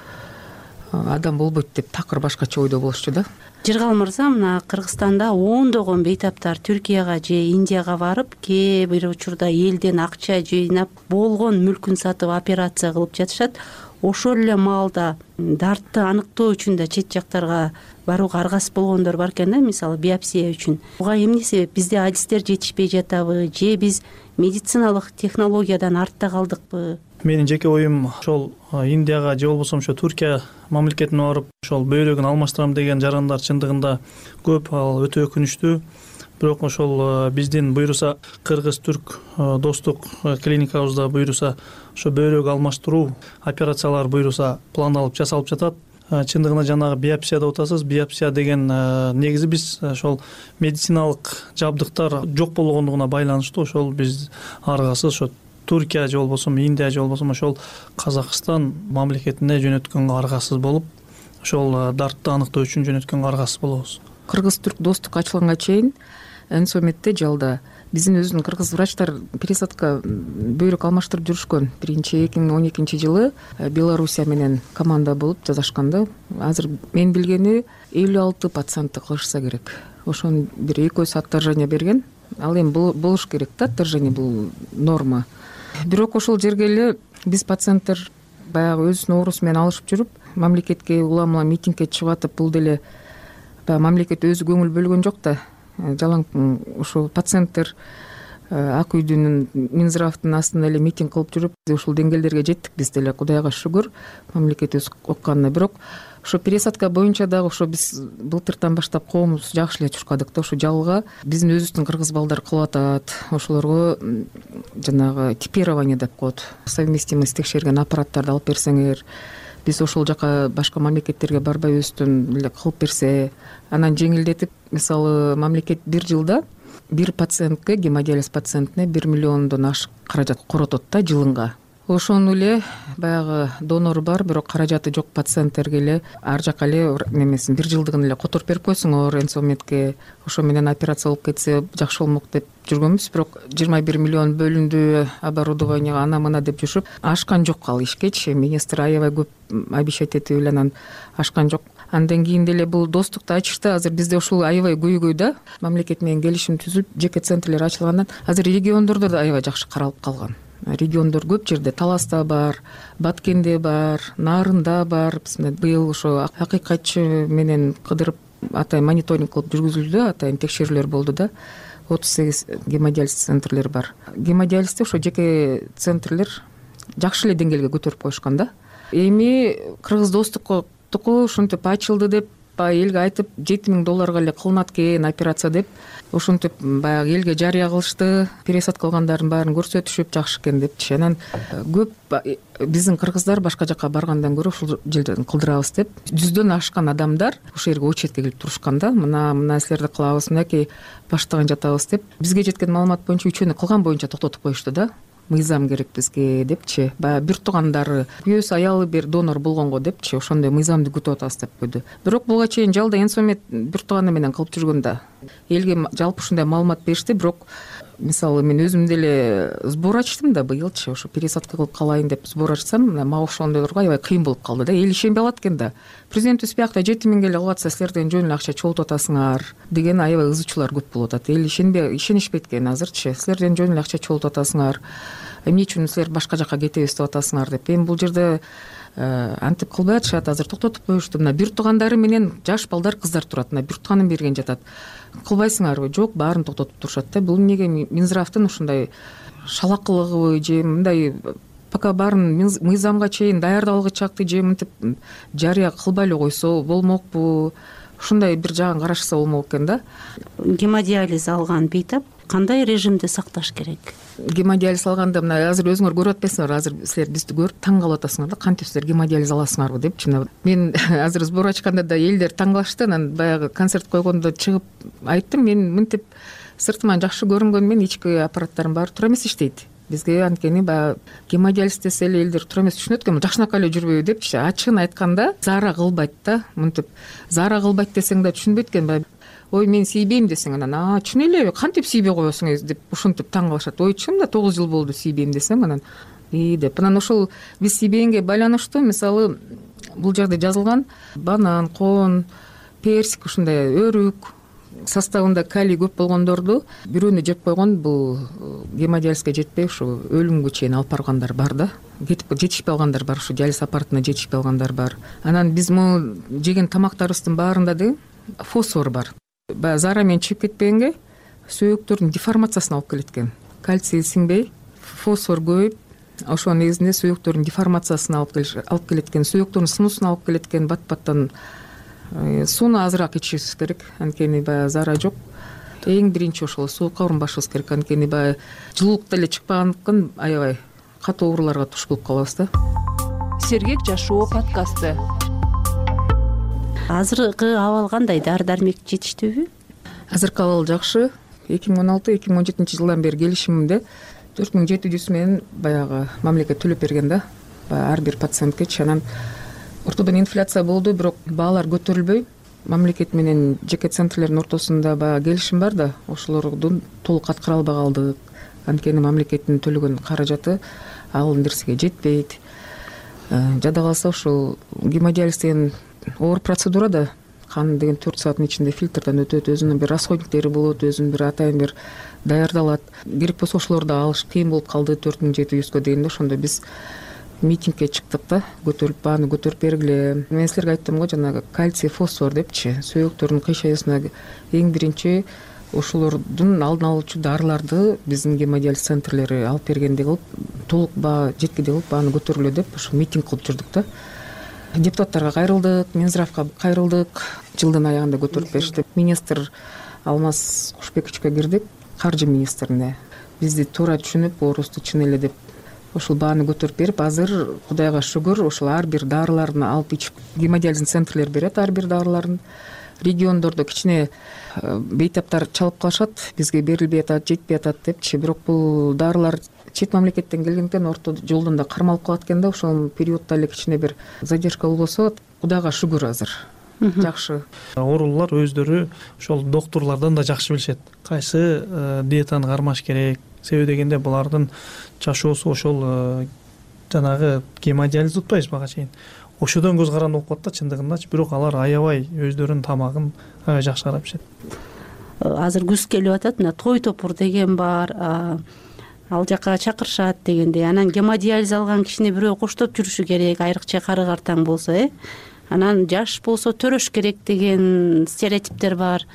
адам болбойт деп такыр башкача ойдо болушчу да. Жыргал мырза, мына Кыргызстанда ондогон бейтаптар Түркияга же Индияга барып, кээ бир учурда элден акча жыйнап, болгон мүлкүн сатып операция кылып жатышат. Ошол эле маалда дартты аныктоо үчүн да чет жактарга барууга аргасыз болгондор бар экен да, мисалы биопсия үчүн. Буга эмне себеп? Бизде адистер жетишпей жатабы же биз медициналык технологиядан артта калдыкпы? Менин жеке оюм ошол Индияга же болбосо ошо Түркия мамлекетине барып ошол бөйрөгүн алмаштырам деген жарандар чындыгында көп, ал өтө өкүнүчтүү. Бирок ошол биздин буйруса кыргыз-түрк достук клиникабызда буйруса ошо бөйрөк алмаштыруу операциялар буйруса пландалып жасалып жатат. Чындыгында жанагы биопсия деп атасыз. Биопсия деген негизи биз ошол медициналык жабдыктар жок болгондугуна байланыштуу ошол биз аргасыз ошо Түркия же болбосо Индия же болбосо ошол Казакстан мамлекетине жөнөткөнгө аргасыз болуп, ошол дартты аныктоо үчүн жөнөткөнгө аргасыз болобуз. Кыргыз-түрк достук ачылганга чейин Энсометте жалда биздин өзүнүн кыргыз врачтар пересадка бөйрөк алмаштырып жүрүшкөн. Биринчи эки миң он экинчи жылы Белоруссия менен команда болуп жасашканда, азыр мен билгени элүү алты пациентти кылышса керек. Ошону бир экөөсү отторжение берген. Ал эми болуш керек да, отторжение бул норма. Бирок ошол жерге эле биз пациенттер баягы өзүнүн оорусу менен алышып жүрүп, мамлекетке улам-улам митингге чыгып атып, бул деле баягы мамлекет өзү көңүл бөлгөн жок да. Жалаң ушул пациенттер Ак үйдүн Минздравдын астында эле митинг кылып жүрүп, ушул деңгээлдерге жеттик биз деле, Кудайга шүгүр, мамлекет өз укканына. Бирок ошо пересадка боюнча дагы ошо биз былтыртан баштап коомубуз жакшы эле чуркадык да, ошо жалга биздин өзүбүздүн кыргыз балдар кылып атат. Ошолорго жанагы типирование деп коет. Совместимость текшерген аппараттарды алып берсеңер, биз ошол жака башка мамлекеттерге барбай өзүбүздөн эле кылып берсе, анан жеңилдетип, мисалы мамлекет бир жылда бир пациентке, гемодиализ пациентине бир миллиондон ашык каражат коротот да жылынга. Ошону эле баягы донор бар, бирок каражаты жок пациенттерге эле ар жака эле немесин бир жылдыгын эле которуп берип койсоңор Энсометке, ошо менен операция болуп кетсе жакшы болмок деп жүргөнбүз. Бирок жыйырма бир миллион бөлүндү оборудованияга, ана мына деп жүрүшүп, ашкан жок ал ишкечи. Министр аябай көп обещать этип эле анан ашкан жок. Андан кийин деле бул достукту ачышты. Азыр бизде ушул аябай көйгөй да, мамлекет менен келишим түзүлүп, жеке центрлер ачылгандан азыр региондордо да аябай жакшы каралып калган. Региондор көп жерде, Таласта бар, Баткенде бар, Нарында бар. Быйыл ошо акыйкатчы менен кыдырып атайын мониторинг кылып жүргүзүлдү, атайын текшерүүлөр болду да. отуз сегиз гемодиализ центрлер бар. Гемодиализде ошо жеке центрлер жакшы эле деңгээлге көтөрүп коюшкан да. Эми кыргыз достукко ушинтип ачылды деп элге айтып, жети миң долларга эле кылынат экен операция деп, ошентип баягы элге жарыя кылышты, пересадка кылгандардын баарын көрсөтүшүп жакшы экен депчи. Анан көп биздин кыргыздар башка жака баргандан көрө ушул жерден кылдырабыз деп, жүздөн ашкан адамдар ошол жерге очередке келип турушкан да. Мына мына силерди кылабыз, мынакей баштаган жатабыз деп. Бизге жеткен маалымат боюнча үчөөнү кылган боюнча токтотуп коюшту да. Мыйзам керек бизге депчи. Баягы бир туугандары, күйөөсү аялы бир донор болгонго депчи, ошондой мыйзамды күтүп атабыз деп койду. Бирок буга чейин жалда Энсомет бир тууганы менен кылып жүргөн да. Элге жалпы ушундай маалымат беришти, бирок мисалы мен өзүм деле сбор ачтым да быйылчы, ошо пересадка кылып калайын деп сбор ачсам, мага ошондойлорго аябай кыйын болуп калды да. Эл ишенбей калат экен да. Президентибиз биякта жети миңге эле кылып атса, силерден жөн эле акча чогултуп атасыңар деген аябай ызычуулар көп болуп атат. Эл ишенбей, ишенишпейт экен азырчы. Силерден жөн эле акча чогултуп атасыңар. Эмне үчүн силер башка жака кетебиз деп атасыңар деп. Эми бул жерде антип кылбай атышат, азыр токтотуп коюшту. Мына бир туугандары менен жаш балдар, кыздар турат. Мына бир тууганын берген жатат. Кылбайсыңарбы? Жок, баарын токтотуп турушат да. Бул эмнеге Минздравдын ушундай шалакылыгыбы же мындай пока баарын мыйзамга чейин даярдалгычакты же мынтип жарыя кылбай эле койсо болмокпу? Ушундай бир жагын карашса болмок экен да. Гемодиализ алган бейтап кандай режимде сакташ керек? Гемодиализ алганда мына азыр өзүңөр көрүп атпайсыңарбы, азыр силер бизди көрүп таң калып атасыңар да, кантип силер гемодиализ аласыңарбы депчи. Мен азыр сбор ачканда да элдер таң калышты. Анан баягы концерт койгондо чыгып айттым, мен мынтип сыртыман жакшы көрүнгөнү менен ички аппараттарым баары туура эмес иштейт. бизге анткени баягы гемодиализ десе эле элдер туура эмес түшүнөт экен жакшынакай эле жүрбөйбү депчи. Ачыгын айтканда заара кылбайт да. Мынтип заара кылбайт десең да түшүнбөйт экен. Баягы ой мен сүйбөйм десең анан а чын эле кантип сүйбөй коесуң деп ушинтип таң калышат. Ой чынында тогуз жыл болду сүйбөйм десең анан и деп анан ошол биз сүйбөгөнгө байланыштуу мисалы бул жерде жазылган банан, коон, персик ушундай өрүк составында калий көп болгондорду бирөөнү жеп койгон бул гемодиализге жетпей ушу өлүмгө чейин алып баргандар бар да. Кетип жетишпей алгандар бар, ушу диализ аппаратына жетишпей алгандар бар. Анан биз могу жеген тамактарыбыздын баарында да фосфор бар. Баягы заара менен чыгып кетпегенге сөөктөрдүн деформациясына алып келет экен. Кальций сиңбей, фосфор көбөйүп, ошонун негизинде сөөктөрдүн деформациясына алып келиш алып келет экен. Сөөктөрдүн сынуусуна алып келет экен. Бат-баттан сууну азыраак ичишибиз керек. Анткени баягы заара жок. Эң биринчи ошол суукка урунбашыбыз керек. Анткени баягы жылуулук деле чыкпагандыктан аябай катуу ооруларга туш болуп калабыз да. Сергек жашоо подкасты. Азыркы абал кандай? Дары дармек жетиштүүбү? Азыркы абал жакшы. эки миң он алты эки миң он жетинчи жылдан бери келишимимде төрт миң жети жүз менен баягы мамлекет төлөп берген да. Баягы ар бир пациенткечи. Анан ортодон инфляция болду, бирок баалар көтөрүлбөй. Мамлекет менен жеке центрлердин ортосунда баягы келишим бар да, ошолордун толук аткара албай калдык. Анткени мамлекеттин төлөгөн каражаты ал нерсеге жетпейт. Жада калса ушул гемодиализ деген оор процедура да. Кан деген төрт сааттын ичинде фильтрден өтөт, өзүнүн бир расходниктери болот, өзүнүн бир атайын бир даярдалат. Керек болсо ошолорду алыш кыйын болуп калды төрт миң жети жүзгө дегенде ошондо биз митингге чыктык да, көтөрүлүп бааны көтөрүп бергиле. Мен силерге айттым го жанагы кальций, фосфор депчи, сөөктөрдүн кыйшайысына эң биринчи ошолордун алдын алуучу дарыларды биздин гемодиализ центрлери алып бергендей кылып, толук баа жеткидей кылып бааны көтөрүлө деп ошо митинг кылып жүрдүк да. Депутаттарга кайрылдык, Минздравга кайрылдык. Жылдын аягында көтөрүп беришти. Министр Алмаз Кушбековичке кирдик, каржы министрине. Бизди туура түшүнүп, оорубузду чын эле деп ошол бааны көтөрүп берип, азыр Кудайга шүгүр ошол ар бир дарыларын алып ичип, гемодиализ центрлер берет ар бир дарыларын. Региондордо кичине бейтаптар чалып калышат, бизге берилбей атат, жетпей атат депчи, бирок бул дарылар чет мамлекеттен келгенден орто жолдон да кармалып калат экен да. Ошол периоддо эле кичине бир задержка болбосо, Кудайга шүгүр азыр жакшы. Оорулуулар өздөрү ошол доктурлардан да жакшы билишет. Кайсы диетаны кармаш керек. Себеби дегенде булардын жашоосу ошол жанагы гемодиализ утпайбыз бага чейин. Ошодон көз каранды болуп калат да чындыгындачы, бирок алар аябай өздөрүнүн тамагын аябай жакшы карап ишет. Азыр күз келип атат, мына той топур деген бар, ал жака чакырышат дегендей. Анан гемодиализ алган кишини бирөө коштоп жүрүшү керек, айрыкча кары картаң болсо, э. Анан жаш болсо төрөш керек деген стереотиптер бар.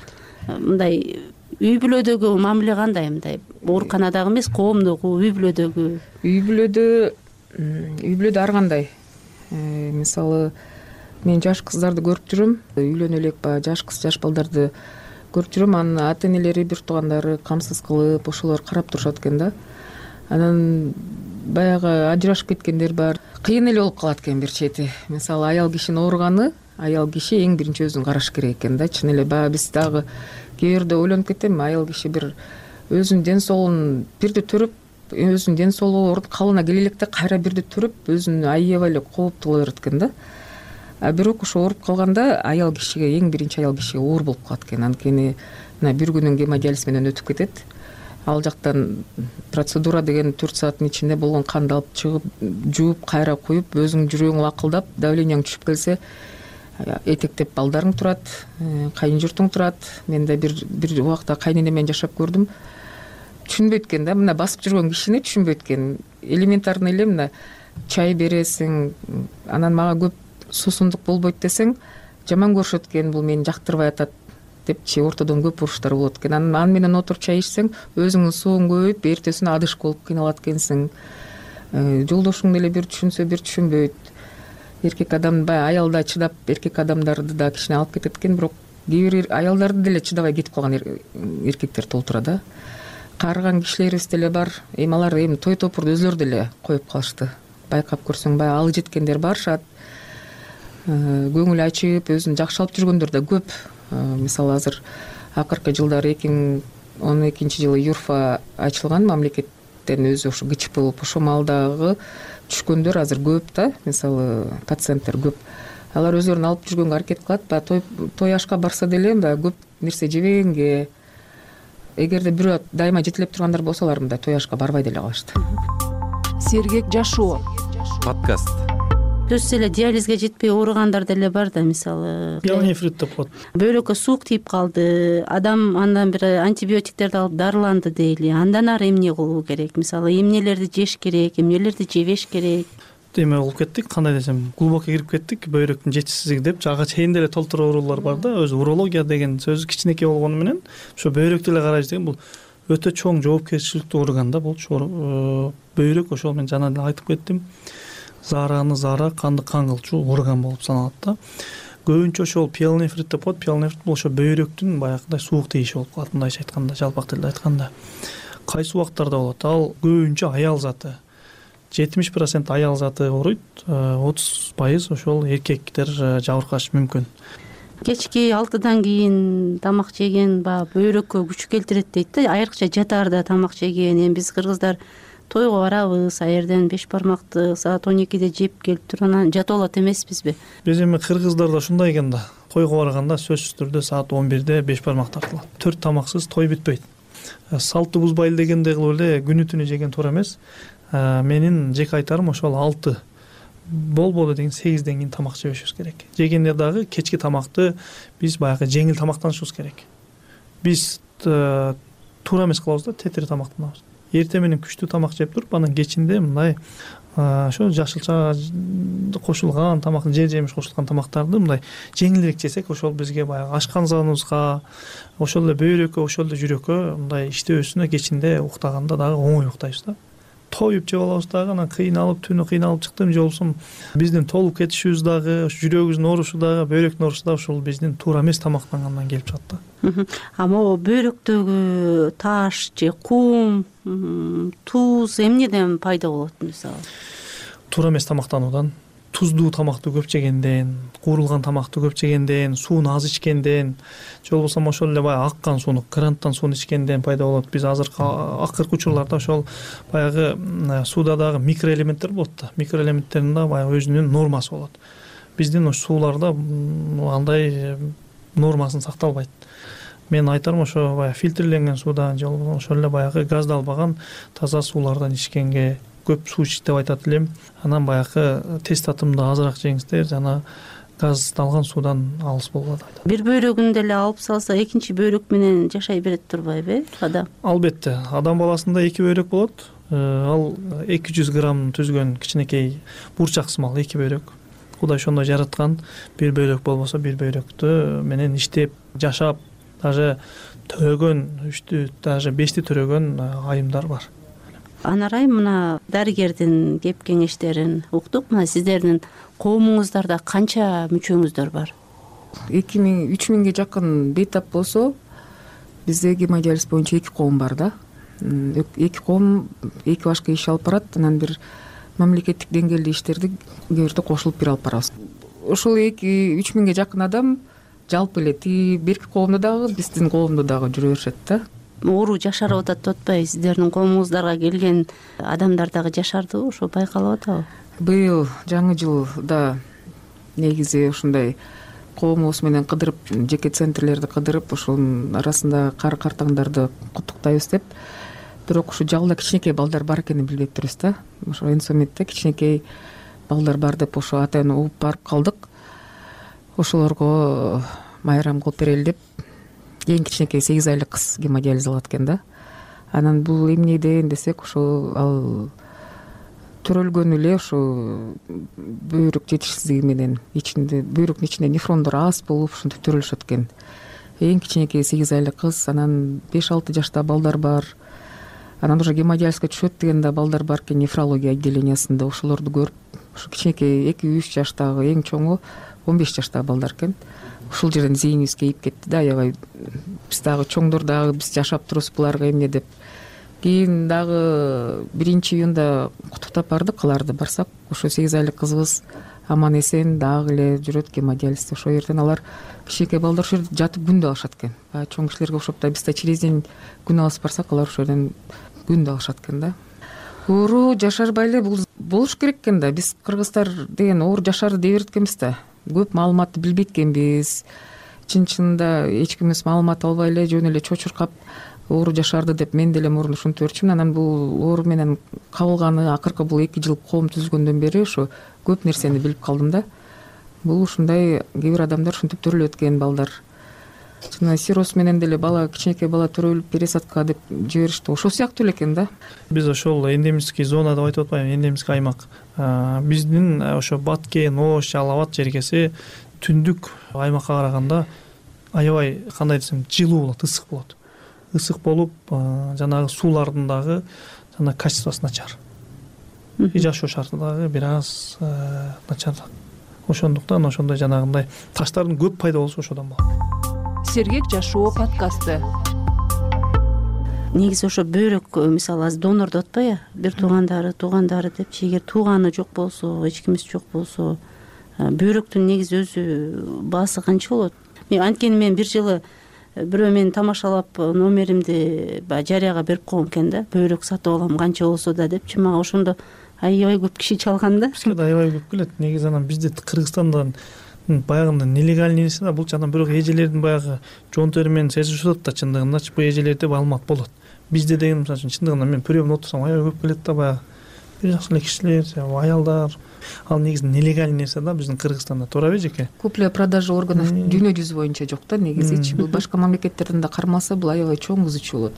Мындай үй бүлөдөгү мамиле кандай? Мындай ооруканадагы эмес, коомдогу, үй бүлөдөгү? Үй бүлөдө үй бүлөдө ар кандай. Мисалы, мен жаш кыздарды көрүп жүрөм, үйлөнө элек ба жаш кыз, жаш балдарды көрүп жүрөм. Анын ата энелери, бир туугандары камсыз кылып, ошолор карап турушат экен да. Анан баягы ажырашып кеткендер бар. Кыйын эле болуп калат экен бир чети. Мисалы, аял кишинин ооруганы, аял киши эң биринчи өзүн караш керек экен да. Чын эле баягы биз дагы кээ бирде ойлонуп кетем, аял киши бир өзүнүн ден соолугун бирди төрөп, өзүнүн ден соолугу калыбына келе электе кайра бирди төрөп, өзүн аябай эле кооптуу кыла берет экен да. А бирок ошо ооруп калганда аял кишиге, эң биринчи аял кишиге оор болуп калат экен. Анткени мына бир күнүн гемодиализ менен өтүп кетет. Ал жактан процедура деген төрт сааттын ичинде болгон канды алып чыгып, жууп, кайра куюп, өзүңүн жүрөгүң лакылдап, давлениең түшүп келсе, этектеп балдарың турат, кайын журтуң турат. Мен да бир бир убакта кайнене менен жашап көрдүм. Түшүнбөйт экен да, мына басып жүргөн кишини түшүнбөйт экен. Элементарный эле мына чай бересиң, анан мага көп суусундук болбойт десең, жаман көрүшөт экен, бул мени жактырбай атат депчи, ортодон көп уруштар болот экен. Анан аны менен отуруп чай ичсең, өзүңдүн сууң көбөйүп, эртесине адыш болуп кыйналат экенсиң. Жолдошуң деле бир түшүнсө, бир түшүнбөйт. Эркек адам баягы аялда чыдап, эркек адамдарды да кичине алып кетет экен, бирок кээ бир аялдарды деле чыдабай кетип калган эркектер толтура да. Карыган кишилерибиз деле бар. Эми алар эми той топурду өзлөрү деле коюп калышты. Байкап көрсөң, баягы алы жеткендер барышат. Көңүл ачып, өзүн жакшы алып жүргөндөр да көп. Мисалы, азыр акыркы жылдары эки миң он экинчи жылы Юрфа ачылган, мамлекет мамлекеттен өзү ошо кычып болуп ошол маалдагы түшкөндөр азыр көп да, мисалы пациенттер көп. Алар өздөрүн алып жүргөнгө аракет кылат, баягы той той ашка барса деле мындай көп нерсе жебегенге, эгерде бирөө дайыма жетелеп тургандар болсо алар мындай той ашка барбай деле калышты. Сергек жашоо подкаст. Түз эле диализге жетпей ооругандар деле бар да, мисалы пиелонефрит деп коет. Бөйрөккө суук тиип калды, адам андан бери антибиотиктерди алып дарыланды дейли. Андан ары эмне кылуу керек? Мисалы эмнелерди жеш керек, эмнелерди жебеш керек? Эме болуп кеттик, кандай десем, глубоко кирип кеттик, бөйрөктүн жетишсиздиги деп. Ага чейин деле толтура оорулар бар да, өзү урология деген сөзү кичинекей болгону менен ошо бөйрөктү эле карайбыз деген бул өтө чоң жоопкерчиликтүү орган да бул. Бөйрөк ошол мен жана эле айтып кеттим, заараны заара, канды кан кылчу орган болуп саналат да. Көбүнчө ошол пиелонефрит деп коет. Пиелонефрит бул ошо бөйрөктүн баягындай суук тийиши болуп калат, мындайча айтканда, жалпак тилде айтканда. Кайсы убактарда болот? Ал көбүнчө аял заты. жетимиш процент аял заты ооруйт, отуз пайыз ошол эркектер жабыркашы мүмкүн. Кечки алтыдан кийин тамак жеген баягы бөйрөккө күч келтирет дейт да, айрыкча жатаарда тамак жеген. Эми биз кыргыздар тойго барабыз, а жерден беш бармакты саат он экиде жеп келип туруп анан жатып алат эмеспизби? Биз эми кыргыздарда ушундай экен да, тойго барганда сөзсүз түрдө саат он бирде беш бармак тартылат. Төрт тамаксыз той бүтпөйт. Салтты бузбайлы дегендей кылып эле күнү түнү жеген туура эмес. Менин жеке айтарым ошол алты болбоду деген сегизден кийин тамак жебешибиз керек. Жегенде дагы кечки тамакты биз баягы жеңил тамактанышыбыз керек. Биз туура эмес кылабыз да, тетири тамактанабыз. Эртең менен күчтүү тамак жеп туруп, анан кечинде мындай ошо жашылча кошулган тамак, жер жемиш кошулган тамактарды мындай жеңилирээк жесек, ошол бизге баягы ашканзабыбызга, ошол эле бөйрөккө, ошол эле жүрөккө мындай иштөөсүнө кечинде уктаганда дагы оңой уктайбыз да. Тоюп жеп алабыз дагы, анан кыйналып, түнү кыйналып чыктым же болбосо биздин толуп кетишибиз дагы, жүрөгүбүздүн оорушу дагы, бөйрөктүн оорусу дагы ошол биздин туура эмес тамактангандан келип чыгат да. А могу бөйрөктөгү таш же кум, туз эмнеден пайда болот мисалы? Туура эмес тамактануудан, туздуу тамакты көп жегенден, куурулган тамакты көп жегенден, сууну аз ичкенден, же болбосо ошол эле баягы аккан сууну, кранттан сууну ичкенден пайда болот. Биз азыркы акыркы учурларда ошол баягы сууда дагы микроэлементтер болот да. Микроэлементтердин да баягы өзүнүн нормасы болот. Биздин ошо сууларда андай нормасын сакталбайт. Мен айтарым ошо баягы фильтрленген суудан же болбосо ошол эле баягы газдалбаган таза суулардан ичкенге, көп суу ич деп айтат элем. Анан баягы тест татымды азыраак жеңиздер, жана газдалган суудан алыс болгула деп айтат. Бир бөйрөгүн деле алып салса, экинчи бөйрөк менен жашай берет турбайбы адам? Албетте, адам баласында эки бөйрөк болот. Ал эки жүз грамм түзгөн кичинекей бурчак сымал эки бөйрөк. Кудай ошондой жараткан, бир бөйрөк болбосо бир бөйрөктү менен иштеп, жашап, даже төрөгөн, үчтү, даже бешти төрөгөн айымдар бар. Анарай, мына дарыгердин кеп кеңештерин уктук. Мына сиздердин коомуңуздарда канча мүчөңүздөр бар? эки миң үч миңге жакын бейтап болсо, бизде гемодиализ боюнча эки коом бар да. Эки коом эки башка иш алып барат, анан бир мамлекеттик деңгээлде иштерди кээ бирде кошулуп бир алып барабыз. Ошол эки үч миңге жакын адам жалпы эле тиги берки коомдо дагы, биздин коомдо дагы жүрө беришет да. Оору жашарып атат деп атпайбы? Сиздердин коомуңуздарга келген адамдар дагы жашардыбы? Ошо байкалып атабы? Быйыл жаңы жылда негизи ушундай коомубуз менен кыдырып, жеке центрлерди кыдырып, ошонун арасында кары картаңдарды куттуктайбыз деп. Бирок ушу жалда кичинекей балдар бар экенин билбей турбуз да. Ошо Энсометте кичинекей балдар бар деп ошо атайын угуп барып калдык. Ошолорго майрам кылып берели деп эң кичинекей сегиз айлык кыз гемодиализ алат экен да. Анан бул эмнеден десек, ошо ал төрөлгөн эле ошо бөйрөк жетишсиздиги менен ичинде бөйрөктүн ичинде нефрондор аз болуп ушинтип төрөлүшөт экен. Эң кичинекей сегиз айлык кыз, анан беш алты жашта балдар бар. Анан уже гемодиализге түшөт деген да балдар бар экен нефрология отделениясында. Ошолорду көрүп, ушу кичинекей эки үч жаштагы, эң чоңу он беш жаштагы балдар экен. Ушул жерден зээнибиз кейип кетти да, аябай биз дагы чоңдор дагы биз жашап турубуз буларга эмне деп. Кийин дагы биринчи июнда куттуктап бардык, аларды барсак, ошо сегиз айлык кызыбыз аман эсен дагы эле жүрөт гемодиализде. Ошол жерден алар кичинекей балдар ошол жерде жатып күндө алышат экен. Баягы чоң кишилерге окшоп да биз да через день күн алыс барсак, алар ошол жерден күндө алышат экен да. оору жашарбай эле бул болуш керек экен да. Биз кыргыздар деген оору жашарды дей берет экенбиз да. Көп маалыматты билбейт экенбиз. Чын чынында эч кимибиз маалымат албай эле жөн эле чочуркап оору жашарды деп мен деле мурун ушинтип берчүмүн. Анан бул оору менен кабылганы акыркы бул эки жыл коом түзүлгөндөн бери ошо көп нерсени билип калдым да. Бул ушундай кээ бир адамдар ушинтип төрөлөт экен, балдар. Жана сироз менен деле бала, кичинекей бала төрөлүп пересадка деп жиберишти. Ошол сыяктуу эле экен да. Биз ошол эндемический зона деп айтып атпайбы, эндемический аймак. Биздин ошо Баткен, Ош, Алал Абад жергеси түндүк аймакка караганда аябай кандай десем жылуу болот, ысык болот. Ысык болуп, жанагы суулардын дагы жана качествосу начар. И жашоо шарты дагы бир аз начар. Ошондуктан ошондой жанагындай таштардын көп пайда болушу ошодон болот. Сергек жашоо подкасты. Негизи ошо бөйрөк, мисалы азыр донор деп атпайбы, бир туугандары, туугандары депчи, эгер тууганы жок болсо, эч кимиз жок болсо, бөйрөктүн негизи өзү баасы канча болот? Мен анткени мен бир жылы бирөө мени тамашалап номеримди баягы жарыяга берип койгон экен да. Бөйрөк сатып алам канча болсо да депчи. Мага ошондо аябай көп киши чалган да. Бизге да аябай көп келет. Негизи анан бизде Кыргызстандан баягында нелегальный нерсе да, бул жана бирок эжелердин баягы жон тери менен сезишип атат да, чындыгындачы бул эжелерде маалымат болот. Бизде деген мисалы үчүн чындыгында мен приемда отурсам аябай көп келет да, баягы бир жакшы эле кишилер, аялдар. Ал негизи нелегальный нерсе да биздин Кыргызстанда, туурабы эжеке? Купля продажа органов дүйнө жүзү боюнча жок да негизичи. Бул башка мамлекеттерден да кармалса бул аябай чоң бузуучу болот.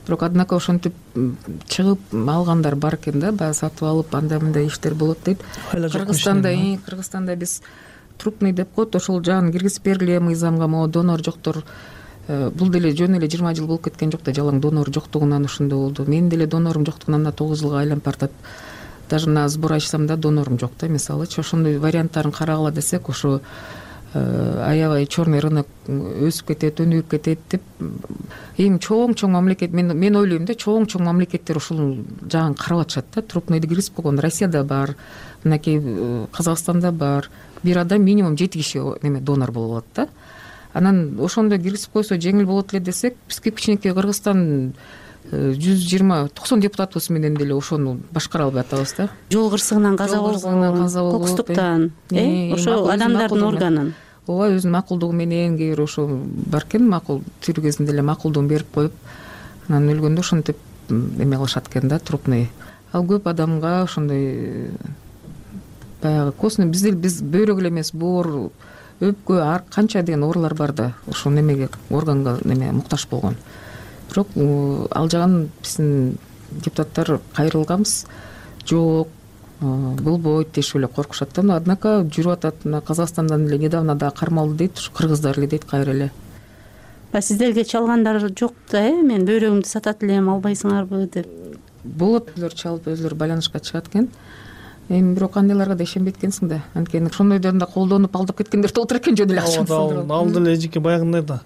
Бирок однако ошентип чыгып алгандар бар экен да, баягы сатып алып андай мындай иштер болот дейт. Кыргызстанда, Кыргызстанда биз трупный деп коет, ошол жагын киргизип бергиле мыйзамга, могу донор жоктор. Бул деле жөн эле жыйырма жыл болуп кеткен жок да, жалаң донор жоктугунан ошондой болду. Менин деле донорум жоктугунан тогуз жылга айланып баратат. Даже мына сбор ачсам да донорум жок да, мисалычы. Ошондой варианттарын карагыла десек, ошо аябай черный рынок өсүп кетет, өнүгүп кетет деп эми чоң-чоң мамлекет, мен мен ойлойм да, чоң-чоң мамлекеттер ушул жагын карап атышат да. Трупныйды киргизип койгон Россияда бар, мынакей Казакстанда бар. Бир адам минимум жети киши неме донор болуп алат да. Анан ошондой киргизип койсо жеңил болот эле десек, биз кичинекей Кыргызстан жүз жыйырма токсон депутатыбыз менен деле ошону башкара албай атабыз да. Жол кырсыгынан каза болгон, кокустуктан, э, ошо адамдардын органын. Ооба, өзүнүн макулдугу менен кээ бир ошо бар экен, макул тирүү кезинде эле макулдугун берип коюп, анан өлгөндө ошентип эме кылышат экен да, трупный. Ал көп адамга ошондой баягы костный, бизде биз бөйрөк эле эмес, боор, өпкө, ар канча деген оорулар бар да, ошо немеге, органга неме муктаж болгон. Бирок ал жагын биздин депутаттар кайрылганбыз. Жок, болбойт дешип эле коркушат да. Однако жүрүп атат. Мына Казакстандан эле недавно да кармалды дейт, ушу кыргыздар эле дейт кайра эле. Ба сиздерге чалгандар жок да, э? Мен бөйрөгүмдү сатат элем, албайсыңарбы деп. Болот, өзүлөр чалып, өзүлөр байланышка чыгат экен. Эми бирок андайларга да ишенбейт экенсиң да. Анткени ошондойдон да колдонуп алдап кеткендер толтур экен, жөн эле акчаны салдырып. Ал деле эжеке баягындай да.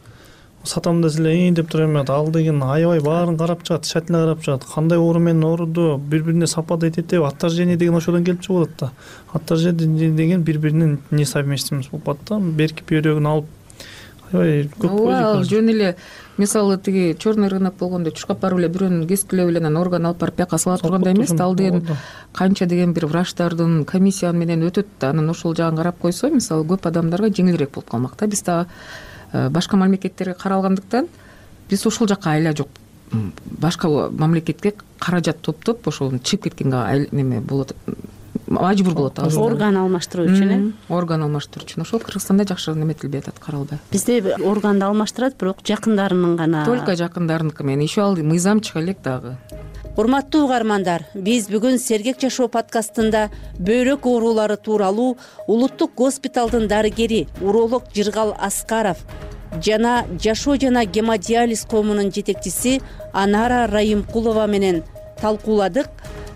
Сатам десе деп тура эме, ал деген аябай баарын карап чыгат, тщательно карап чыгат. Кандай оору менен ооруду бири-бирине сапат этет, отторжение деген ошодон келип чыгып атат да. Отторжение деген бири-биринин несовместимость болуп атат да. Берки бөйрөгүн алып аябай көп койду. Жөн эле мисалы тиги черный рынок болгондо чуркап барып эле бирөөнүн кескилеп эле анан орган алып барып бияка сала тургандай эмес да. Ал деген канча деген бир врачтардын комиссия менен өтөт да. Анан ошол жагын карап койсо, мисалы көп адамдарга жеңилирээк болуп калмак да. Биз дагы башка мамлекеттерге каралгандыктан биз ошол жакка айла жок. Башка мамлекетке каражат топтоп ошол чыгып кеткенге неме болот, мажбур болот. Орган алмаштыруу үчүн, э? Орган алмаштыруу үчүн. Ошол Кыргызстанда жакшы неметилбей атат, каралбай. Бизде органды алмаштырат, бирок жакындарынын гана. Только жакындарыныкы менен. Еще ал мыйзам чыга элек дагы. Урматтуу угармандар, биз бүгүн Сергек жашоо подкастында бөйрөк оорулары тууралуу Улуттук госпиталдын дарыгери уролог Жыргал Аскаров жана жашоо жана гемодиализ коомунун жетекчиси Анара Райымкулова менен талкууладык.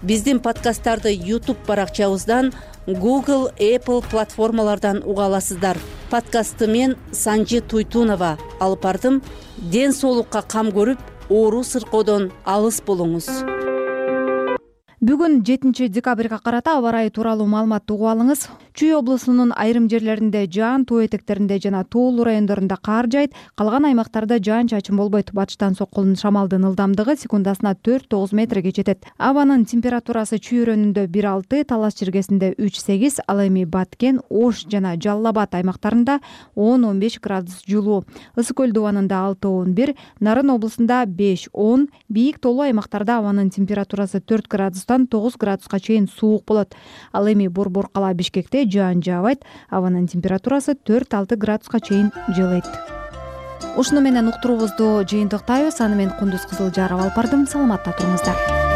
Биздин подкасттарды YouTube баракчабыздан, Google, Apple платформалардан уга аласыздар. Подкастты мен Санжи Туйтунова алып бардым. Ден соолукка кам көрүп, оору сыркоодон алыс болуңуз. Бүгүн жетинчи декабрга карата аба ырайы тууралуу маалыматты угуп алыңыз. Чүй облусунун айрым жерлеринде жаан, тоо этектеринде жана тоолуу райондорунда кар жаайт, калган аймактарда жаан-чачын болбойт. Батыштан соккон шамалдын ылдамдыгы секундасына төрт тогуз метрге жетет. Абанын температурасы Чүй-Өрөөнүндө бир алты, Талас чиркесинде үч сегиз, ал эми Баткен, Ош жана Жалал Абад аймактарында он он беш градус жылуу. Ысык көл дубанында алты он бир, Нарын облусунда беш он, бийик тоолуу аймактарда абанын температурасы төрт градустан тогуз градуска чейин суук болот. Ал эми Борбор кала Бишкекте жаан жаабайт, абанын температурасы төрт алты градуска чейин жылыйт. Ушуну менен уктуруубузду жыйынтыктайбыз. Аны мен Кундуз Кызылжарова алып бардым. Саламатта туруңуздар.